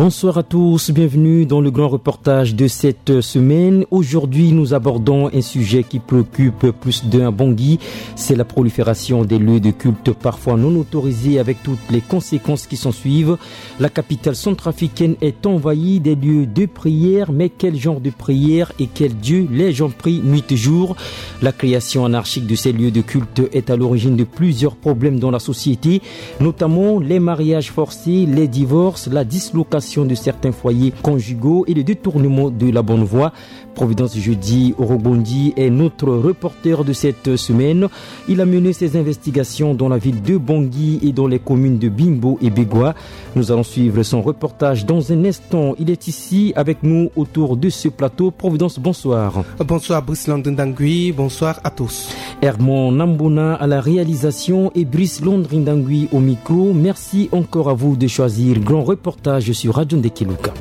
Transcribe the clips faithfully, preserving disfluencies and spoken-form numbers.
Bonsoir à tous, bienvenue dans le grand reportage de cette semaine. Aujourd'hui, nous abordons un sujet qui préoccupe plus d'un à Bangui. C'est la prolifération des lieux de culte parfois non autorisés, avec toutes les conséquences qui s'en suivent. La capitale centrafricaine est envahie des lieux de prière, mais quel genre de prière et quel Dieu les gens prient nuit et jour ? La création anarchique de ces lieux de culte est à l'origine de plusieurs problèmes dans la société, notamment les mariages forcés, les divorces, la dislocation de certains foyers conjugaux et le détournement de la bonne voie. Providence Jeudi Orobondi est notre reporter de cette semaine. Il a mené ses investigations dans la ville de Bangui et dans les communes de Bimbo et Begoua. Nous allons suivre son reportage dans un instant. Il est ici avec nous autour de ce plateau. Providence, bonsoir. Bonsoir Brice Landindangui, bonsoir à tous. Hermon Nambona à la réalisation et Brice Landindangui au micro. Merci encore à vous de choisir Grand Reportage sur Radio Ndekeluka.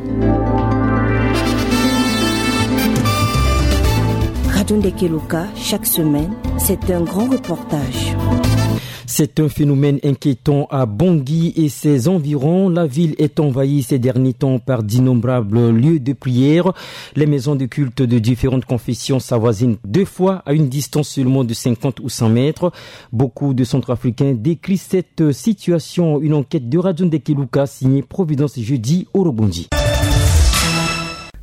Radio Ndekeluka, chaque semaine, c'est un grand reportage. C'est un phénomène inquiétant à Bangui et ses environs. La ville est envahie ces derniers temps par d'innombrables lieux de prière. Les maisons de culte de différentes confessions s'avoisinent deux fois à une distance seulement de cinquante ou cent mètres. Beaucoup de Centrafricains décrivent cette situation. Une enquête de Radio Ndekeluka signée Providence Jeudi Orobondi.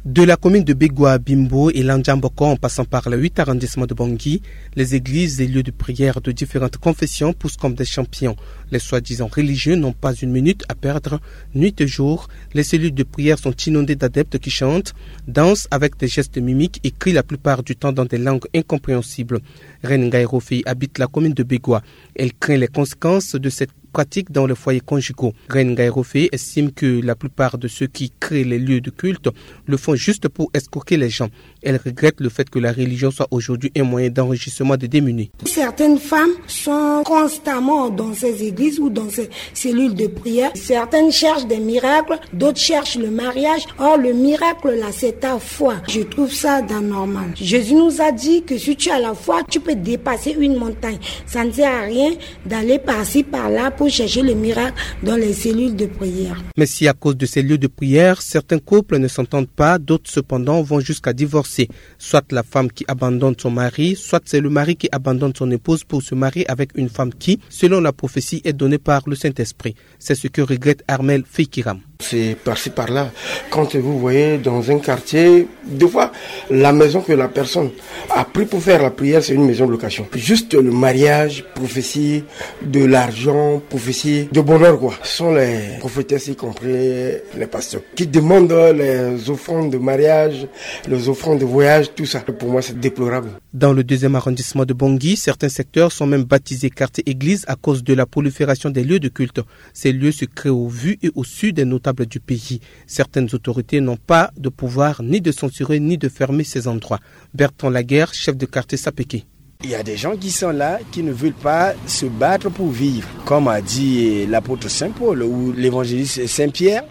De la commune de Begoua à Bimbo et Landjamboko en passant par le huit arrondissement de Bangui, les églises et lieux de prière de différentes confessions poussent comme des champignons. Les soi-disant religieux n'ont pas une minute à perdre. Nuit et jour, les cellules de prière sont inondées d'adeptes qui chantent, dansent avec des gestes mimiques et crient la plupart du temps dans des langues incompréhensibles. Reine Ngaïrofi habite la commune de Begoua. Elle craint les conséquences de cette pratique dans les foyers conjugaux. Reine Ngaïrofi estime que la plupart de ceux qui créent les lieux de culte le font juste pour escroquer les gens. Elle regrette le fait que la religion soit aujourd'hui un moyen d'enrichissement des démunis. Certaines femmes sont constamment dans ces églises ou dans ces cellules de prière. Certaines cherchent des miracles, d'autres cherchent le mariage. Or, le miracle, là, c'est ta foi. Je trouve ça anormal. Jésus nous a dit que si tu as la foi, tu peux dépasser une montagne. Ça ne sert à rien d'aller par-ci, par-là pour chercher le miracle dans les cellules de prière. Mais si à cause de ces lieux de prière, certains couples ne s'entendent pas, d'autres cependant vont jusqu'à divorcer. Soit la femme qui abandonne son mari, soit c'est le mari qui abandonne son épouse pour se marier avec une femme qui, selon la prophétie, est donnée par le Saint-Esprit. C'est ce que regrette Armel Fikiram. C'est par-ci par-là. Quand vous voyez dans un quartier, des fois, la maison que la personne a pris pour faire la prière, c'est une maison de location. Juste le mariage, prophétie de l'argent, prophétie de bonheur, quoi. Ce sont les prophétesses, y compris les pasteurs, qui demandent les offrandes de mariage, les offrandes de voyage, tout ça. Pour moi, c'est déplorable. Dans le deuxième arrondissement de Bangui, certains secteurs sont même baptisés quartier église à cause de la prolifération des lieux de culte. Ces lieux se créent au vu et au su des notables du pays. Certaines autorités n'ont pas de pouvoir ni de censurer ni de fermer ces endroits. Bertrand Laguerre, chef de quartier Sapeke. Il y a des gens qui sont là, qui ne veulent pas se battre pour vivre. Comme a dit l'apôtre Saint Paul ou l'évangéliste Saint Pierre,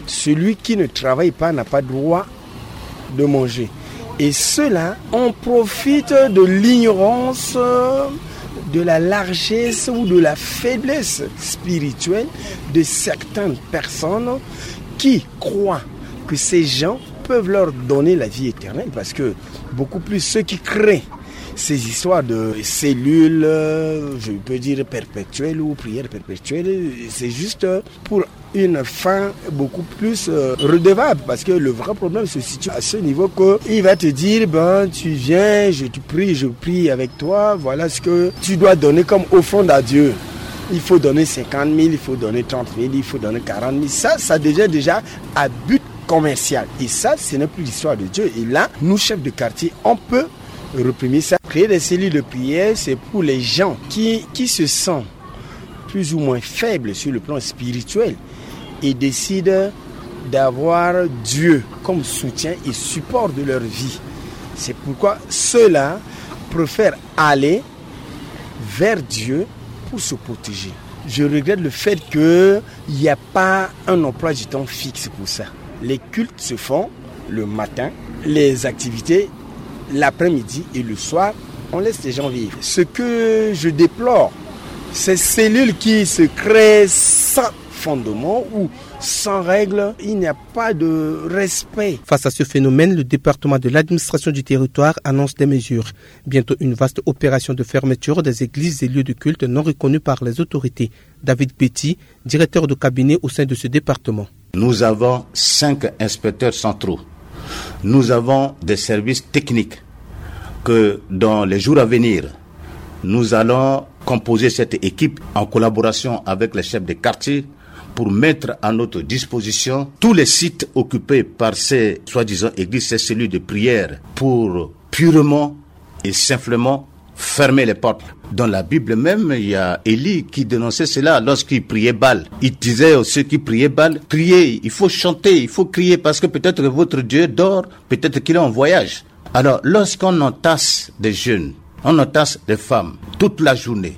celui qui ne travaille pas n'a pas droit de manger. Et ceux-là, on profite de l'ignorance, de la largesse ou de la faiblesse spirituelle de certaines personnes qui croient que ces gens peuvent leur donner la vie éternelle, parce que beaucoup plus ceux qui créent ces histoires de cellules, euh, je peux dire perpétuelles ou prières perpétuelles, c'est juste pour une fin beaucoup plus, euh, redevable, parce que le vrai problème se situe à ce niveau que il va te dire, ben, tu viens, je te prie, je prie avec toi, voilà ce que tu dois donner comme offrande à Dieu. Il faut donner cinquante mille, il faut donner trente mille, il faut donner quarante mille. Ça, ça devient déjà à but commercial. Et ça, ce n'est plus l'histoire de Dieu. Et là, nous, chefs de quartier, on peut réprimer ça. Créer des cellules de prière, c'est pour les gens qui, qui se sentent plus ou moins faibles sur le plan spirituel et décident d'avoir Dieu comme soutien et support de leur vie. C'est pourquoi ceux-là préfèrent aller vers Dieu pour se protéger. Je regrette le fait qu'il n'y a pas un emploi du temps fixe pour ça. Les cultes se font le matin, les activités l'après-midi et le soir, on laisse les gens vivre. Ce que je déplore, Ces cellules qui se créent sans fondement ou sans règles, il n'y a pas de respect. Face à ce phénomène, le département de l'administration du territoire annonce des mesures. Bientôt une vaste opération de fermeture des églises et lieux de culte non reconnus par les autorités. David Betty, directeur de cabinet au sein de ce département. Nous avons cinq inspecteurs centraux. Nous avons des services techniques que, dans les jours à venir, nous allons composer cette équipe en collaboration avec les chefs de quartier pour mettre à notre disposition tous les sites occupés par ces soi-disant églises, ces cellules de prière, pour purement et simplement fermer les portes. Dans la Bible même, il y a Élie qui dénonçait cela lorsqu'il priait Baal. Il disait à ceux qui priaient Baal, priez, il faut chanter, il faut crier parce que peut-être votre Dieu dort, peut-être qu'il est en voyage. Alors, lorsqu'on entasse des jeunes, on entasse des femmes toute la journée,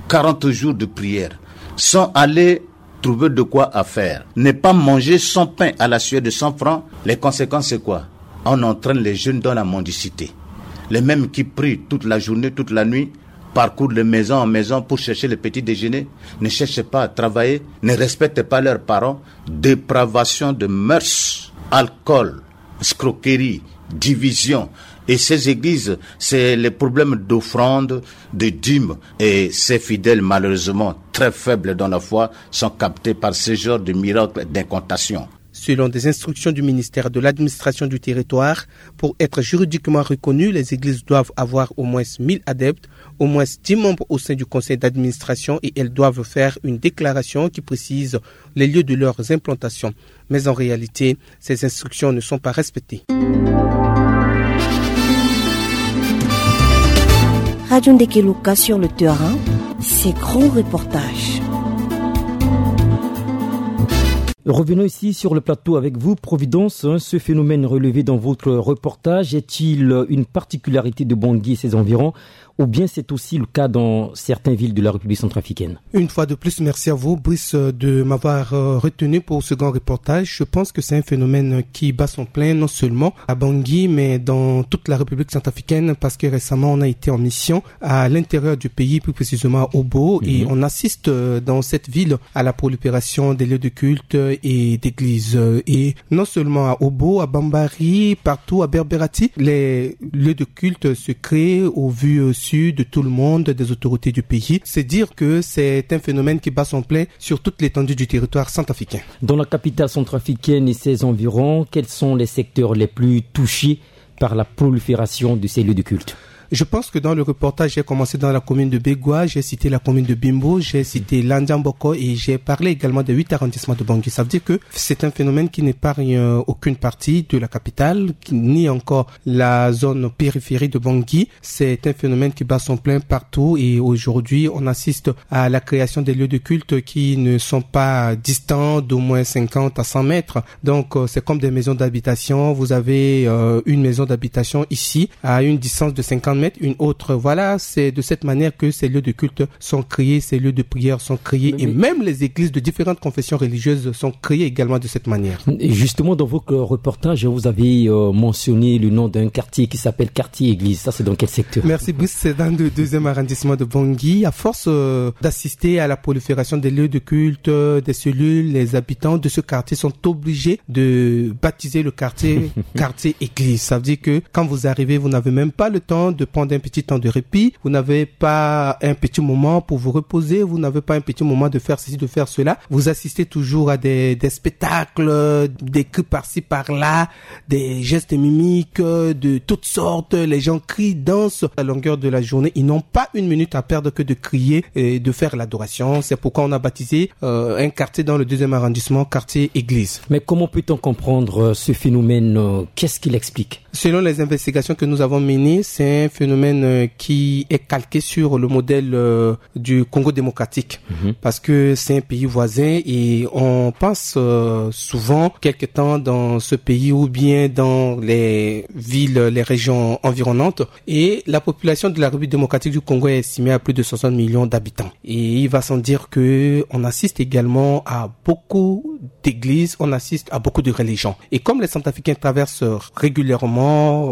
quarante jours de prière, sans aller trouver de quoi à faire, ne pas manger cent pains à la sueur de cent francs, les conséquences, c'est quoi ? On entraîne les jeunes dans la mendicité. Les mêmes qui prient toute la journée, toute la nuit, parcourent de maison en maison pour chercher le petit déjeuner, ne cherchent pas à travailler, ne respectent pas leurs parents. Dépravation de mœurs, alcool, escroquerie, division. Et ces églises, c'est les problèmes d'offrande, de dîmes. Et ces fidèles, malheureusement très faibles dans la foi, sont captés par ce genre de miracle d'incantation. Selon des instructions du ministère de l'administration du territoire, pour être juridiquement reconnues, les églises doivent avoir au moins mille adeptes, au moins dix membres au sein du conseil d'administration et elles doivent faire une déclaration qui précise les lieux de leurs implantations. Mais en réalité, ces instructions ne sont pas respectées. Radio Ndekeluka sur le terrain, ces grands reportages. Revenons ici sur le plateau avec vous, Providence. Hein, ce phénomène relevé dans votre reportage est-il une particularité de Bangui et ses environs, ou bien c'est aussi le cas dans certaines villes de la République centrafricaine ? Une fois de plus, merci à vous, Brice, de m'avoir, euh, retenu pour ce grand reportage. Je pense que c'est un phénomène qui bat son plein, non seulement à Bangui, mais dans toute la République centrafricaine, parce que récemment, on a été en mission à l'intérieur du pays, plus précisément à Obo, et on assiste, euh, dans cette ville à la prolifération des lieux de culte et d'églises. Euh, et non seulement à Obo, à Bambari, partout à Berberati, les lieux de culte se créent au vu, euh, su de tout le monde, des autorités du pays. C'est dire que c'est un phénomène qui bat son plein sur toute l'étendue du territoire centrafricain. Dans la capitale centrafricaine et ses environs, quels sont les secteurs les plus touchés par la prolifération de ces lieux de culte ? Je pense que dans le reportage, j'ai commencé dans la commune de Bégwa, j'ai cité la commune de Bimbo, j'ai cité Landiamboko et j'ai parlé également des huit arrondissements de Bangui. Ça veut dire que c'est un phénomène qui n'épargne, euh, aucune partie de la capitale, qui, ni encore la zone périphérie de Bangui. C'est un phénomène qui bat son plein partout et aujourd'hui, on assiste à la création des lieux de culte qui ne sont pas distants d'au moins cinquante à cent mètres. Donc, euh, c'est comme des maisons d'habitation. Vous avez, euh, une maison d'habitation ici, à une distance de cinquante mètres, une autre. Voilà, c'est de cette manière que ces lieux de culte sont créés, ces lieux de prière sont créés, et même les églises de différentes confessions religieuses sont créées également de cette manière. Et justement, dans votre reportage, vous avez, euh, mentionné le nom d'un quartier qui s'appelle Quartier Église. Ça, c'est dans quel secteur ? Merci, Brice. C'est dans le deuxième arrondissement de Bangui. À force, euh, d'assister à la prolifération des lieux de culte, euh, des cellules, les habitants de ce quartier sont obligés de baptiser le quartier Quartier Église. Ça veut dire que quand vous arrivez, vous n'avez même pas le temps de prendre un petit temps de répit. Vous n'avez pas un petit moment pour vous reposer. Vous n'avez pas un petit moment de faire ceci, de faire cela. Vous assistez toujours à des, des spectacles, des cris par-ci, par-là, des gestes mimiques, euh, de toutes sortes. Les gens crient, dansent à longueur de la journée. Ils n'ont pas une minute à perdre que de crier et de faire l'adoration. C'est pourquoi on a baptisé, euh, un quartier dans le deuxième arrondissement, Quartier Église. Mais comment peut-on comprendre, euh, ce phénomène, euh, qu'est-ce qu'il explique ? Selon les investigations que nous avons menées, c'est un phénomène, euh, qui est calqué sur le modèle, euh, du Congo démocratique, parce que c'est un pays voisin et on passe, euh, souvent quelque temps dans ce pays ou bien dans les villes, les régions environnantes. Et la population de la République démocratique du Congo est estimée à plus de soixante millions d'habitants. Et il va sans dire que on assiste également à beaucoup d'églises, on assiste à beaucoup de religions. Et comme les Centrafricains traversent régulièrement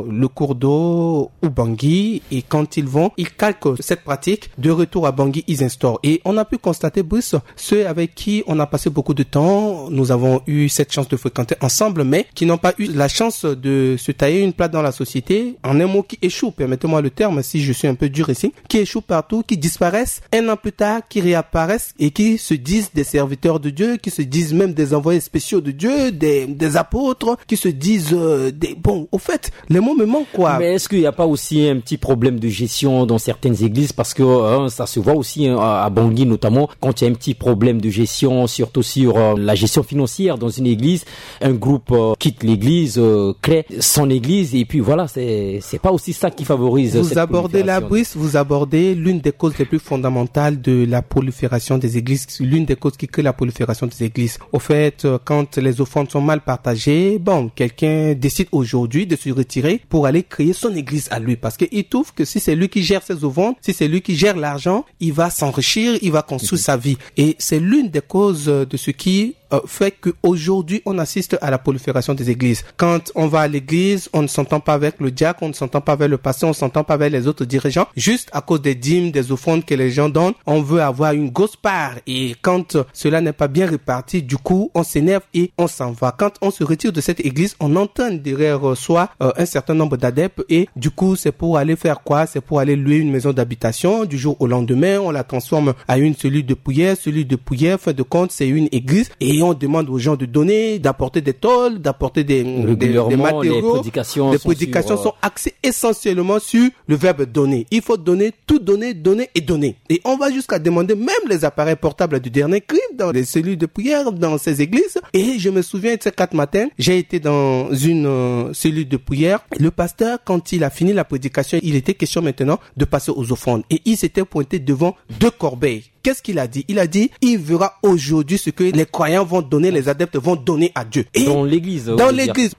le cours d'eau ou Bangui, et quand ils vont, ils calquent cette pratique. De retour à Bangui, ils instaurent. Et on a pu constater, Brice, ceux avec qui on a passé beaucoup de temps, nous avons eu cette chance de fréquenter ensemble, mais qui n'ont pas eu la chance de se tailler une place dans la société. En un mot, qui échouent, permettez-moi le terme, si je suis un peu dur ici, qui échouent partout, qui disparaissent, un an plus tard, qui réapparaissent et qui se disent des serviteurs de Dieu, qui se disent même des envoyés spéciaux de Dieu, des, des apôtres, qui se disent, euh, des, bon, au fait, les mots me manquent, quoi. Mais est-ce qu'il n'y a pas aussi un petit problème de gestion dans certaines églises ? Parce que, hein, ça se voit aussi, hein, à à Bangui notamment, quand il y a un petit problème de gestion, surtout sur, euh, la gestion financière dans une église, un groupe, euh, quitte l'église, euh, crée son église, et puis voilà, c'est, c'est pas aussi ça qui favorise cette prolifération. Vous abordez là, Brice, vous abordez l'une des causes les plus fondamentales de la prolifération des églises, l'une des causes qui crée la prolifération des églises. Au fait, euh, quand les offrandes sont mal partagées, bon, quelqu'un décide aujourd'hui de se retirer pour aller créer son église à lui, parce qu'il trouve que si c'est lui qui gère ses offrandes, si c'est lui qui gère l'argent, il va s'enrichir, il va construire sa vie. Et c'est l'une des causes, euh, de ce qui, euh, fait qu'aujourd'hui, on assiste à la prolifération des églises. Quand on va à l'église, on ne s'entend pas avec le diacre, on ne s'entend pas avec le pasteur, on ne s'entend pas avec les autres dirigeants, juste à cause des dîmes, des offrandes que les gens donnent. On veut avoir une grosse part. Et quand, euh, cela n'est pas bien réparti, du coup, on s'énerve et on s'en va. Quand on se retire de cette église, on entraîne derrière, euh, soi, euh, un certain nombre d'adeptes. Et du coup, c'est pour aller faire quoi ? C'est pour aller louer une maison d'habitation. Du jour au lendemain, on la transforme à une cellule de prière. Cellule de prière, fin de compte, c'est une église. Et on demande aux gens de donner, d'apporter des tôles, d'apporter des, des, des matériaux. Régulièrement, les prédications sont axées essentiellement sur le verbe donner. Il faut donner, tout donner, donner et donner. Et on va jusqu'à demander même les appareils portables du dernier cri dans les cellules de prière, dans ces églises. Et je me souviens, ces quatre matins, j'ai été dans une, euh, cellule de prière. Le pasteur, quand il a fini la prédication, il était question maintenant de passer aux offrandes. Et il s'était pointé devant deux corbeilles. Qu'est-ce qu'il a dit ? Il a dit, il verra aujourd'hui ce que les croyants vont donner, les adeptes vont donner à Dieu. Et dans l'église,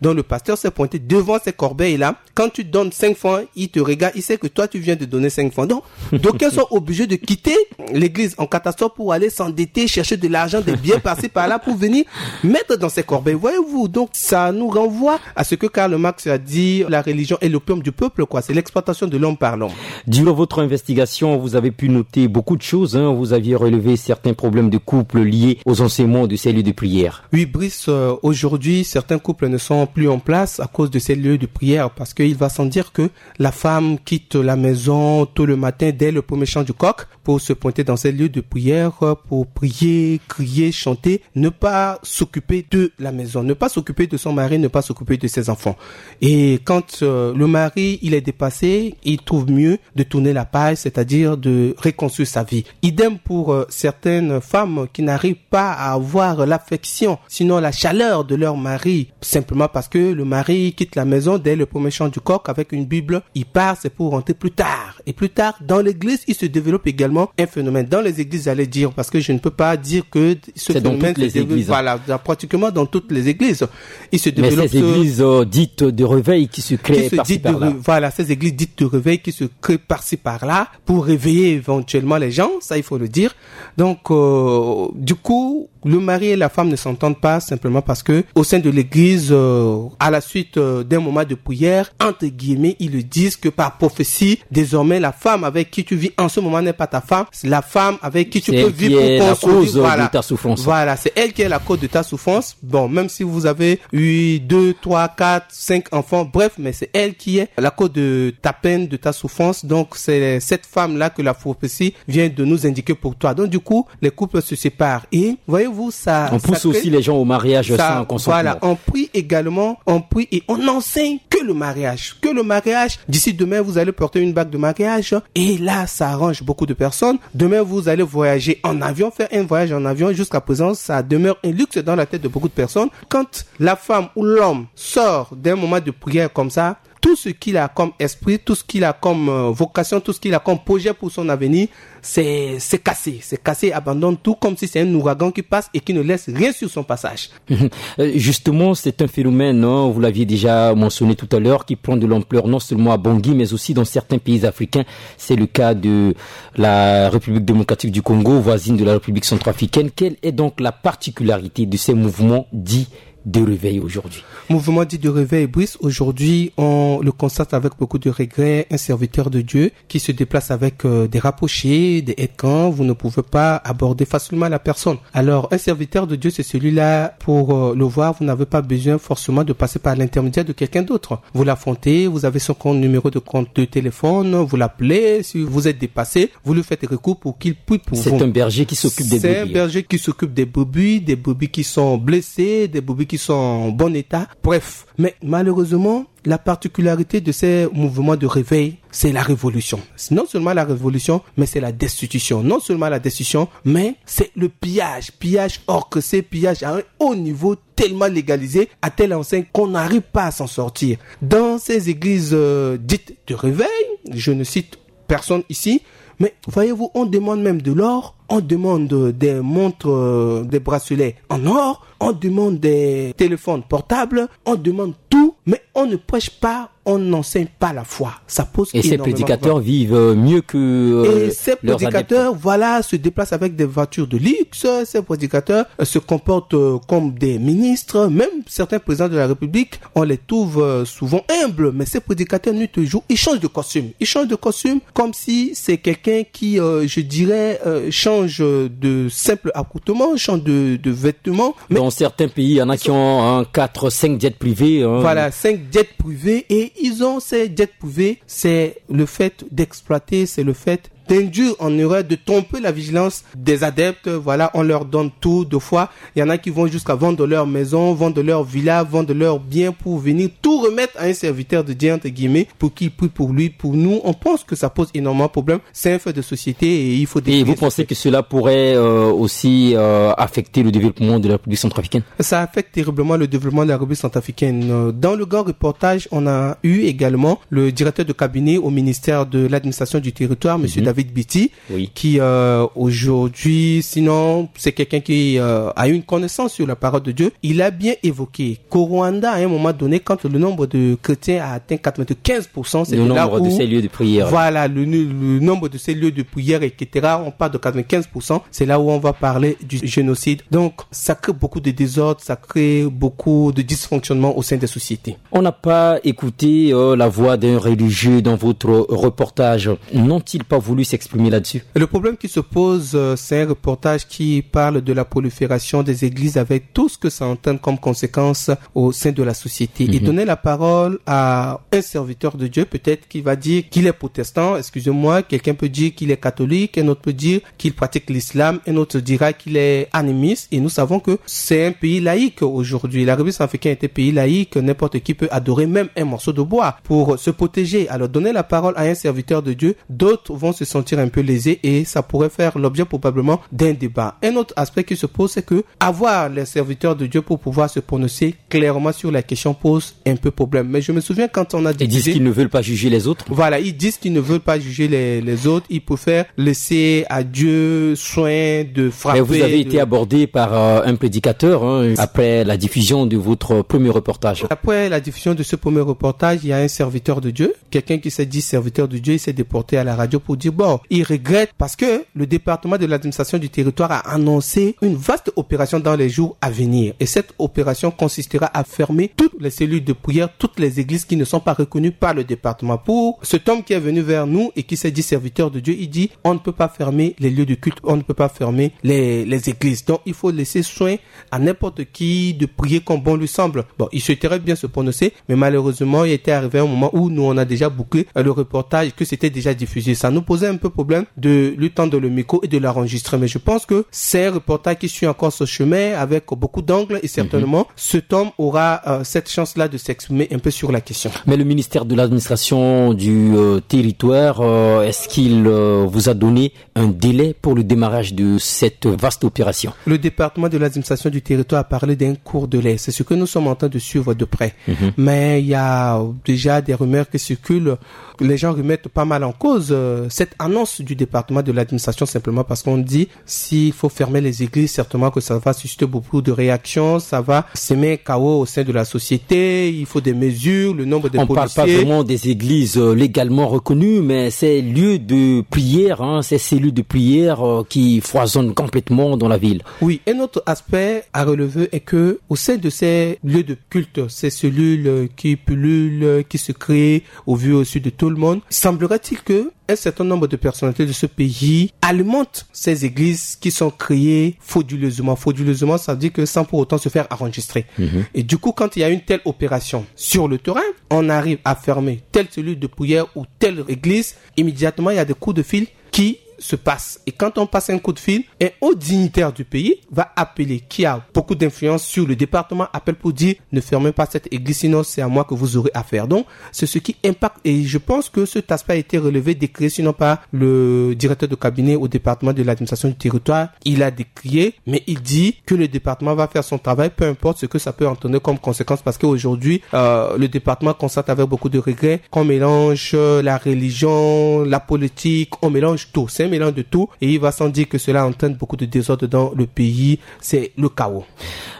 dans le pasteur s'est pointé devant ces corbeilles-là. Quand tu donnes cinq francs, il te regarde, il sait que toi, tu viens de donner cinq francs. Donc, d'aucuns sont obligés de quitter l'église en catastrophe pour aller s'endetter, chercher de l'argent, des biens par-ci, par-là, pour venir mettre dans ces corbeilles. Voyez-vous, donc, ça nous renvoie à ce que Karl Marx a dit, la religion est l'opium du peuple, quoi. C'est l'exploitation de l'homme par l'homme. Durant votre investigation, vous avez pu noter beaucoup de choses, hein. Vous aviez relevé certains problèmes de couple liés aux enseignements de ces lieux de prière. Oui, Brice, euh, aujourd'hui, certains couples ne sont plus en place à cause de ces lieux de prière, parce qu'il va sans dire que la femme quitte la maison tôt le matin dès le premier chant du coq pour se pointer dans ces lieux de prière, euh, pour prier, crier, chanter, ne pas s'occuper de la maison, ne pas s'occuper de son mari, ne pas s'occuper de ses enfants. Et quand, euh, le mari, il est dépassé, il trouve mieux de tourner la page, c'est-à-dire de reconstruire sa vie. Idem pour, euh, certaines femmes qui n'arrivent pas à avoir l'affection, sinon la chaleur de leur mari, simplement parce que le mari quitte la maison dès le premier chant du coq avec une Bible, il part, c'est pour rentrer plus tard. Et plus tard, dans l'église, il se développe également un phénomène. Dans les églises, j'allais dire, parce que je ne peux pas dire que ce phénomène se développe, voilà, dans, pratiquement dans toutes les églises. Il se développe. Mais ces églises, euh, dites de réveil qui se créent par-ci par-là. Voilà, ces églises dites de réveil qui se créent par-ci par-là pour réveiller éventuellement les gens, ça, il faut le dire. Donc, euh, du coup, le mari et la femme ne s'entendent pas simplement parce que au sein de l'église, euh, à la suite, euh, d'un moment de prière, entre guillemets, ils le disent que par prophétie, désormais, la femme avec qui tu vis en ce moment n'est pas ta femme, c'est la femme avec qui tu peux vivre ou construire. C'est elle qui est la cause de ta souffrance. Voilà, c'est elle qui est la cause de ta souffrance. Bon, même si vous avez eu deux, trois, quatre, cinq enfants, bref, mais c'est elle qui est la cause de ta peine, de ta souffrance. Donc, c'est cette femme-là que la prophétie vient de nous indiquer pour toi. Donc, du coup, les couples se séparent. Et voyez-vous, ça, on pousse aussi les gens au mariage sans consentement. Voilà, on prie également, on prie et on n'enseigne que le mariage. Que le mariage, d'ici demain, vous allez porter une bague de mariage. Et là, ça arrange beaucoup de personnes. Demain, vous allez voyager en avion, faire un voyage en avion. Jusqu'à présent, ça demeure un luxe dans la tête de beaucoup de personnes. Quand la femme ou l'homme sort d'un moment de prière comme ça, tout ce qu'il a comme esprit, tout ce qu'il a comme, euh, vocation, tout ce qu'il a comme projet pour son avenir, c'est, c'est cassé. C'est cassé, il abandonne tout comme si c'est un ouragan qui passe et qui ne laisse rien sur son passage. Euh, justement, c'est un phénomène, hein, vous l'aviez déjà mentionné tout à l'heure, qui prend de l'ampleur non seulement à Bangui, mais aussi dans certains pays africains. C'est le cas de la République démocratique du Congo, voisine de la République centrafricaine. Quelle est donc la particularité de ces mouvements dits de réveil aujourd'hui ? Mouvement dit de réveil, Brice, aujourd'hui, on le constate avec beaucoup de regrets, un serviteur de Dieu qui se déplace avec, euh, des rapprochés, des aide-camps, vous ne pouvez pas aborder facilement la personne. Alors, un serviteur de Dieu, c'est celui-là, pour, euh, le voir, vous n'avez pas besoin forcément de passer par l'intermédiaire de quelqu'un d'autre. Vous l'affrontez, vous avez son compte, numéro de compte de téléphone, vous l'appelez, si vous êtes dépassé, vous lui faites recours pour qu'il prie pour vous. C'est un berger qui s'occupe des brebis. C'est un berger qui s'occupe des brebis, des brebis qui sont blessés, des brebis qui sont en bon état. Bref, mais malheureusement, la particularité de ces mouvements de réveil, c'est la révolution. C'est non seulement la révolution, mais c'est la destitution. Non seulement la destitution, mais c'est le pillage. Pillage orchestré, pillage à un haut niveau, tellement légalisé, à telle enseigne qu'on n'arrive pas à s'en sortir. Dans ces églises, euh, dites de réveil, je ne cite personne ici, mais voyez-vous, on demande même de l'or, on demande des montres, euh, des bracelets en or, on demande des téléphones portables, on demande tout, mais on ne prêche pas, on n'enseigne pas la foi. Ça pose énormément de problèmes. Et ces prédicateurs vivent, euh, mieux que, euh, leurs adeptes. Et ces prédicateurs, voilà, se déplacent avec des voitures de luxe. Ces prédicateurs, euh, se comportent, euh, comme des ministres. Même certains présidents de la République, on les trouve, euh, souvent humbles. Mais ces prédicateurs, nuit et jour, ils changent de costume. Ils changent de costume comme si c'est quelqu'un qui, euh, je dirais, euh, change de simple accoutrement, change de, de vêtements. Mais dans certains pays, il y en a qui ont, hein, quatre, cinq jets privés, hein. Voilà, cinq jets privés, et ils ont ces jets privés. C'est le fait d'exploiter, c'est le fait d'induire en erreur, de tromper la vigilance des adeptes. Voilà, on leur donne tout de fois. Il y en a qui vont jusqu'à vendre leur maison, vendre leur villa, vendre leurs biens pour venir tout remettre à un serviteur de Dieu, entre guillemets, pour qu'il prie pour lui. Pour nous, on pense que ça pose énormément de problèmes. C'est un fait de société et il faut décrire ce fait. Et vous pensez que cela pourrait, euh, aussi, euh, affecter le développement de la République centrafricaine ? Ça affecte terriblement le développement de la République centrafricaine. Euh, dans le grand reportage, on a eu également le directeur de cabinet au ministère de l'administration du territoire, monsieur David Biti, oui, qui, euh, aujourd'hui, sinon, c'est quelqu'un qui, euh, a eu une connaissance sur la parole de Dieu. Il a bien évoqué qu'au Rwanda, à un moment donné, quand le nombre de chrétiens a atteint quatre-vingt-quinze pour cent, c'est là où, voilà, le, le nombre de ces lieux de prière, et cetera, on parle de quatre-vingt-quinze pour cent, c'est là où on va parler du génocide. Donc, ça crée beaucoup de désordre, ça crée beaucoup de dysfonctionnement au sein des sociétés. On n'a pas écouté, euh, la voix d'un religieux dans votre reportage. N'ont-ils pas voulu s'exprimer là-dessus ? Le problème qui se pose, euh, c'est un reportage qui parle de la prolifération des églises avec tout ce que ça entraîne comme conséquence au sein de la société. Et donner la parole à un serviteur de Dieu, peut-être qu'il va dire qu'il est protestant, excusez-moi, quelqu'un peut dire qu'il est catholique, un autre peut dire qu'il pratique l'islam, un autre dira qu'il est animiste. Et nous savons que c'est un pays laïque aujourd'hui. La République centrafricaine est un pays laïque, n'importe qui peut adorer même un morceau de bois pour se protéger. Alors, donner la parole à un serviteur de Dieu, d'autres vont se sentir un peu lésés et ça pourrait faire l'objet probablement d'un débat. Un autre aspect qui se pose, c'est que avoir les serviteurs de Dieu pour pouvoir se prononcer clairement sur la question pose un peu problème. Mais je me souviens quand on a diffusé... Ils disent qu'ils ne veulent pas juger les autres. Voilà, ils disent qu'ils ne veulent pas juger les, les autres. Ils préfèrent laisser à Dieu soin de frapper. Mais vous avez été abordé par, euh, un prédicateur, hein, après la diffusion de votre premier reportage. Après la diffusion de ce premier reportage, il y a un serviteur de Dieu, quelqu'un qui s'est dit serviteur de Dieu, il s'est déporté à la radio pour dire, bon, il regrette parce que le département de l'administration du territoire a annoncé une vaste opération dans les jours à venir. Et cette opération consistera à fermer toutes les cellules de prière, toutes les églises qui ne sont pas reconnues par le département. Pour cet homme qui est venu vers nous et qui s'est dit serviteur de Dieu, il dit, on ne peut pas fermer les lieux de culte, on ne peut pas fermer les, les églises. Donc, il faut laisser soin à n'importe qui de prier comme bon lui semble. Bon, il souhaiterait bien se prononcer, mais malheureusement, il était arrivé un moment où nous, on a déjà bouclé, euh, le reportage, que c'était déjà diffusé. Ça nous posait un peu problème de lui tendre le micro et de l'enregistrer. Mais je pense que c'est un reportage qui suit encore ce chemin avec beaucoup d'angles et certainement, cet homme aura, euh, cette chance-là de s'exprimer un peu sur la question. Mais le ministère de l'administration du, euh, territoire, euh, est-ce qu'il, euh, vous a donné un délai pour le démarrage de cette vaste opération ? Le département de l'administration du territoire a parlé d'un court délai. C'est ce que nous sommes en train de suivre de près. Mais il y a déjà des rumeurs qui circulent. Les gens remettent pas mal en cause, euh, cette annonce du département de l'administration simplement parce qu'on dit s'il faut fermer les églises, certainement que ça va susciter beaucoup de réactions, ça va semer un chaos au sein de la société, il faut des mesures, le nombre de policiers. On parle pas vraiment des églises, euh, légalement reconnues, mais ces lieux de prière, hein, ces cellules de prière, euh, qui foisonnent complètement dans la ville. Oui, un autre aspect à relever est que au sein de ces lieux de culte, ces cellules, euh, qui pullulent, euh, qui se créent au vu et au su de tout le monde, semblerait-il que un certain nombre de personnalités de ce pays alimentent ces églises qui sont créées frauduleusement. Frauduleusement, ça veut dire que sans pour autant se faire enregistrer. Mhm. Et du coup, quand il y a une telle opération sur le terrain, on arrive à fermer telle cellule de prière ou telle église, immédiatement, il y a des coups de fil qui se passent. Et quand on passe un coup de fil, un haut dignitaire du pays va appeler, qui a beaucoup d'influence sur le département, appelle pour dire : « Ne fermez pas cette église, sinon c'est à moi que vous aurez affaire. » Donc, c'est ce qui impacte. Et je pense que cet aspect a été relevé, décrié sinon par le directeur de cabinet au département de l'administration du territoire. Il a décrié, mais il dit que le département va faire son travail, peu importe ce que ça peut entraîner comme conséquence, parce qu'aujourd'hui, euh, le département constate avec beaucoup de regrets qu'on mélange, euh, la religion, la politique, on mélange tout. C'est un mélange de tout et il va sans dire que cela entraîne beaucoup de désordre dans le pays. C'est le chaos.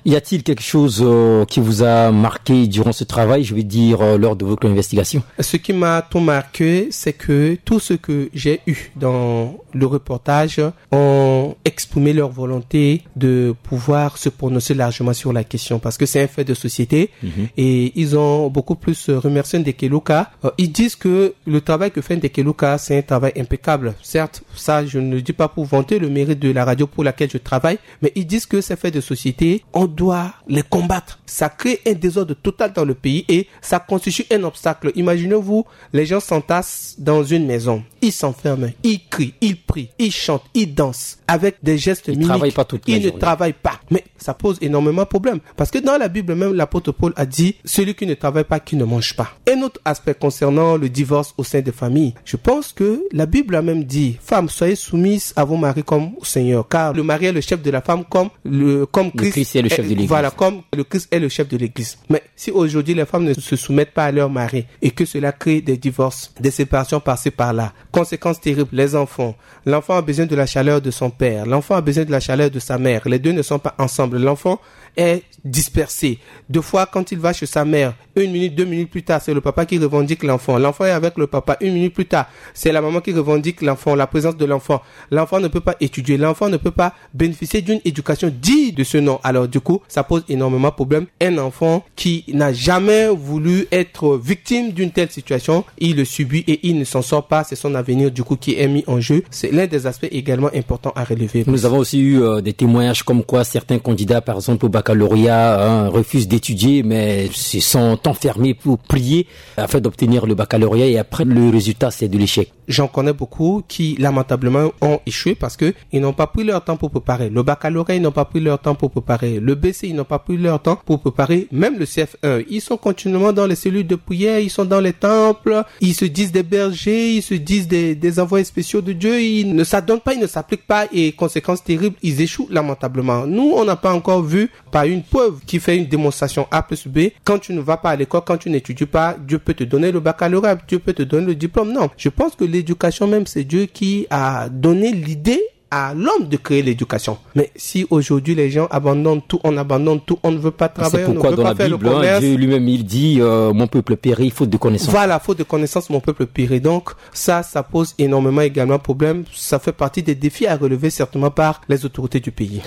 Y a-t-il quelque chose, euh, qui vous a marqué durant ce travail, je veux dire, euh, lors de votre investigation ? Ce qui m'a tout marqué, c'est que tout ce que j'ai eu dans le reportage ont exprimé leur volonté de pouvoir se prononcer largement sur la question, parce que c'est un fait de société. Mhm. Et ils ont beaucoup plus remercié Ndekeluka. Euh, ils disent que le travail que fait Ndekeluka, c'est un travail impeccable. Certes, ça, je ne le dis pas pour vanter le mérite de la radio pour laquelle je travaille, mais ils disent que ces faits de société, on doit les combattre. Ça crée un désordre total dans le pays et ça constitue un obstacle. Imaginez-vous, les gens s'entassent dans une maison, ils s'enferment, ils crient, ils prient, ils chantent, ils dansent avec des gestes mimiques. Ils ne travaillent pas. Mais ça pose énormément de problèmes. Parce que dans la Bible même, l'apôtre Paul a dit : « Celui qui ne travaille pas, qui ne mange pas. » Un autre aspect concernant le divorce au sein des familles. Je pense que la Bible a même dit : « Femmes, soyez soumises à vos maris comme au Seigneur. » Car le mari est le chef de la femme comme le, comme Christ est le chef de l'Église. Voilà, comme le Christ est le chef de l'Église. Mais si aujourd'hui les femmes ne se soumettent pas à leur mari et que cela crée des divorces, des séparations par-ci par-là, conséquence terrible, les enfants. L'enfant a besoin de la chaleur de son père. L'enfant a besoin de la chaleur de sa mère. Les deux ne sont pas ensemble. L'enfant est dispersé. Deux fois, quand il va chez sa mère, une minute, deux minutes plus tard, c'est le papa qui revendique l'enfant. L'enfant est avec le papa. Une minute plus tard, c'est la maman qui revendique l'enfant, la présence de l'enfant. L'enfant ne peut pas étudier. L'enfant ne peut pas bénéficier d'une éducation digne de ce nom. Alors du coup, ça pose énormément de problèmes. Un enfant qui n'a jamais voulu être victime d'une telle situation, il le subit et il ne s'en sort pas. C'est son avenir du coup qui est mis en jeu. C'est l'un des aspects également importants à relever. Nous avons aussi eu, euh, des témoignages comme quoi certains candidats, par exemple au baccalauréat, hein, refusent d'étudier, mais se sont enfermés pour prier afin d'obtenir le baccalauréat et après le résultat, c'est de l'échec. J'en connais beaucoup qui, lamentablement, ont échoué parce que ils n'ont pas pris leur temps pour préparer. Le baccalauréat, ils n'ont pas pris leur temps pour préparer. Le B C, ils n'ont pas pris leur temps pour préparer. Même le C F E, ils sont continuellement dans les cellules de prière, ils sont dans les temples, ils se disent des bergers, ils se disent des, des envoyés spéciaux de Dieu. Ils ne s'adonnent pas, ils ne s'appliquent pas et conséquence terrible, ils échouent lamentablement. Nous, on n'a pas encore vu par une preuve qui fait une démonstration A plus B. Quand tu ne vas pas à l'école, quand tu n'étudies pas, Dieu peut te donner le baccalauréat, Dieu peut te donner le diplôme. Non, je pense que l'éducation même, c'est Dieu qui a donné l'idée à l'homme de créer l'éducation. Mais si aujourd'hui les gens abandonnent tout, on abandonne tout, on ne veut pas travailler, on ne veut pas faire le commerce. C'est pourquoi dans la Bible, hein, Dieu lui-même, il dit, euh, « Mon peuple périt faute de connaissance. » Voilà, faute de connaissance, mon peuple périt. Donc ça, ça pose énormément également problème. Ça fait partie des défis à relever certainement par les autorités du pays.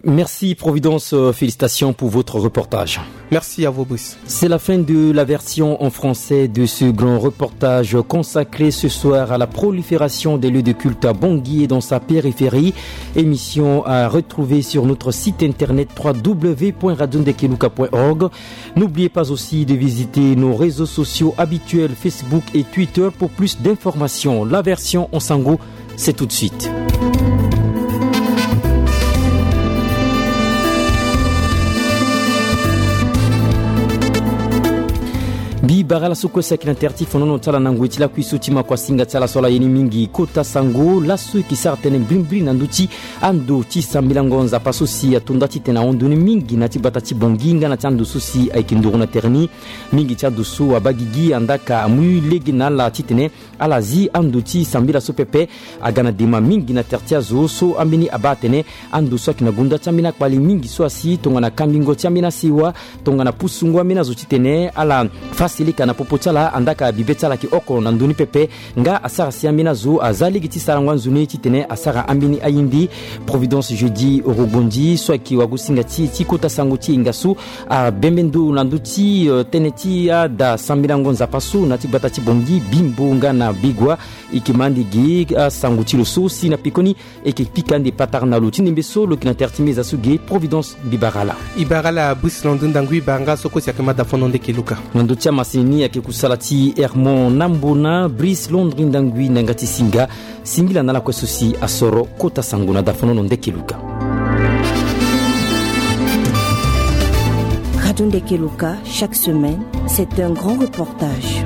Merci Providence, euh, félicitations pour votre reportage. Merci à vous, Brice. C'est la fin de la version en français de ce grand reportage consacré ce soir à la prolifération des lieux de culte à Bangui et dans sa périphérie. Émission à retrouver sur notre site internet trois W point radio ndekeluka point org. N'oubliez pas aussi de visiter nos réseaux sociaux habituels, Facebook et Twitter, pour plus d'informations. La version en sango, c'est tout de suite. Bible Bara laso kue si ayeke na tere ti fonono ti ala na ngoi ti lakui so ti makuasinga ti ala so ala ye ni mingi kota sango laso e ke sara tënë mbrimbri na ndö ti ando ti sambilango Nzapa so si atonda titene ahon ndoni mingi na ya ti gbata ti Bangui nga na ya ti ando so si ayeke nduru na tere ni. Mingi ti ando so abaa gigi andaa ka amu lege na ala titene ala zi ando ti sambela so pepe. Aga na dema mingi na tere ti azo so ambeni abaa atene ando so ayeke na gonda ti ambeni akpali mingi so asi tongana kambingo ti ambeni asewa, tongana pusungo ambeni azo titene ala fâ seleka na popo ti ala andaa ka bibe ti ala ayeke oko na ndö ni pepe. Nga asara si ambeni azo aza lege ti sarango anzoni titene asara ambeni aye ndi. Providence Jeudi Orogondi so ayeke wagosinga ti e ti kota sango ti e nga so abembe ndo na ndö ti, eh, tënë ti ada sambilango Nzapa so na ya ti gbata ti Bangui, Bimbo nga na Bigua. E yeke ma ande ge asango ti lo so si na pekoni e yeke pika ande patara na lo ti ndembe so lo yeke na tere ti meza so ge. Providence, mbi bara ala. E bara ala Brice Landou Ndangui, e bara nga so kue si ayeke ma da fono ndeke luka. Na ndö ti amasini ni ayeke kusala ti Hermon Nambona, Brice Landou Ndangui na yanga ti singa. Singila na ala kue so si asoro kota sango na da fono ndeke luka. Radio Ndeke Luka, chaque semaine, c'est un grand reportage.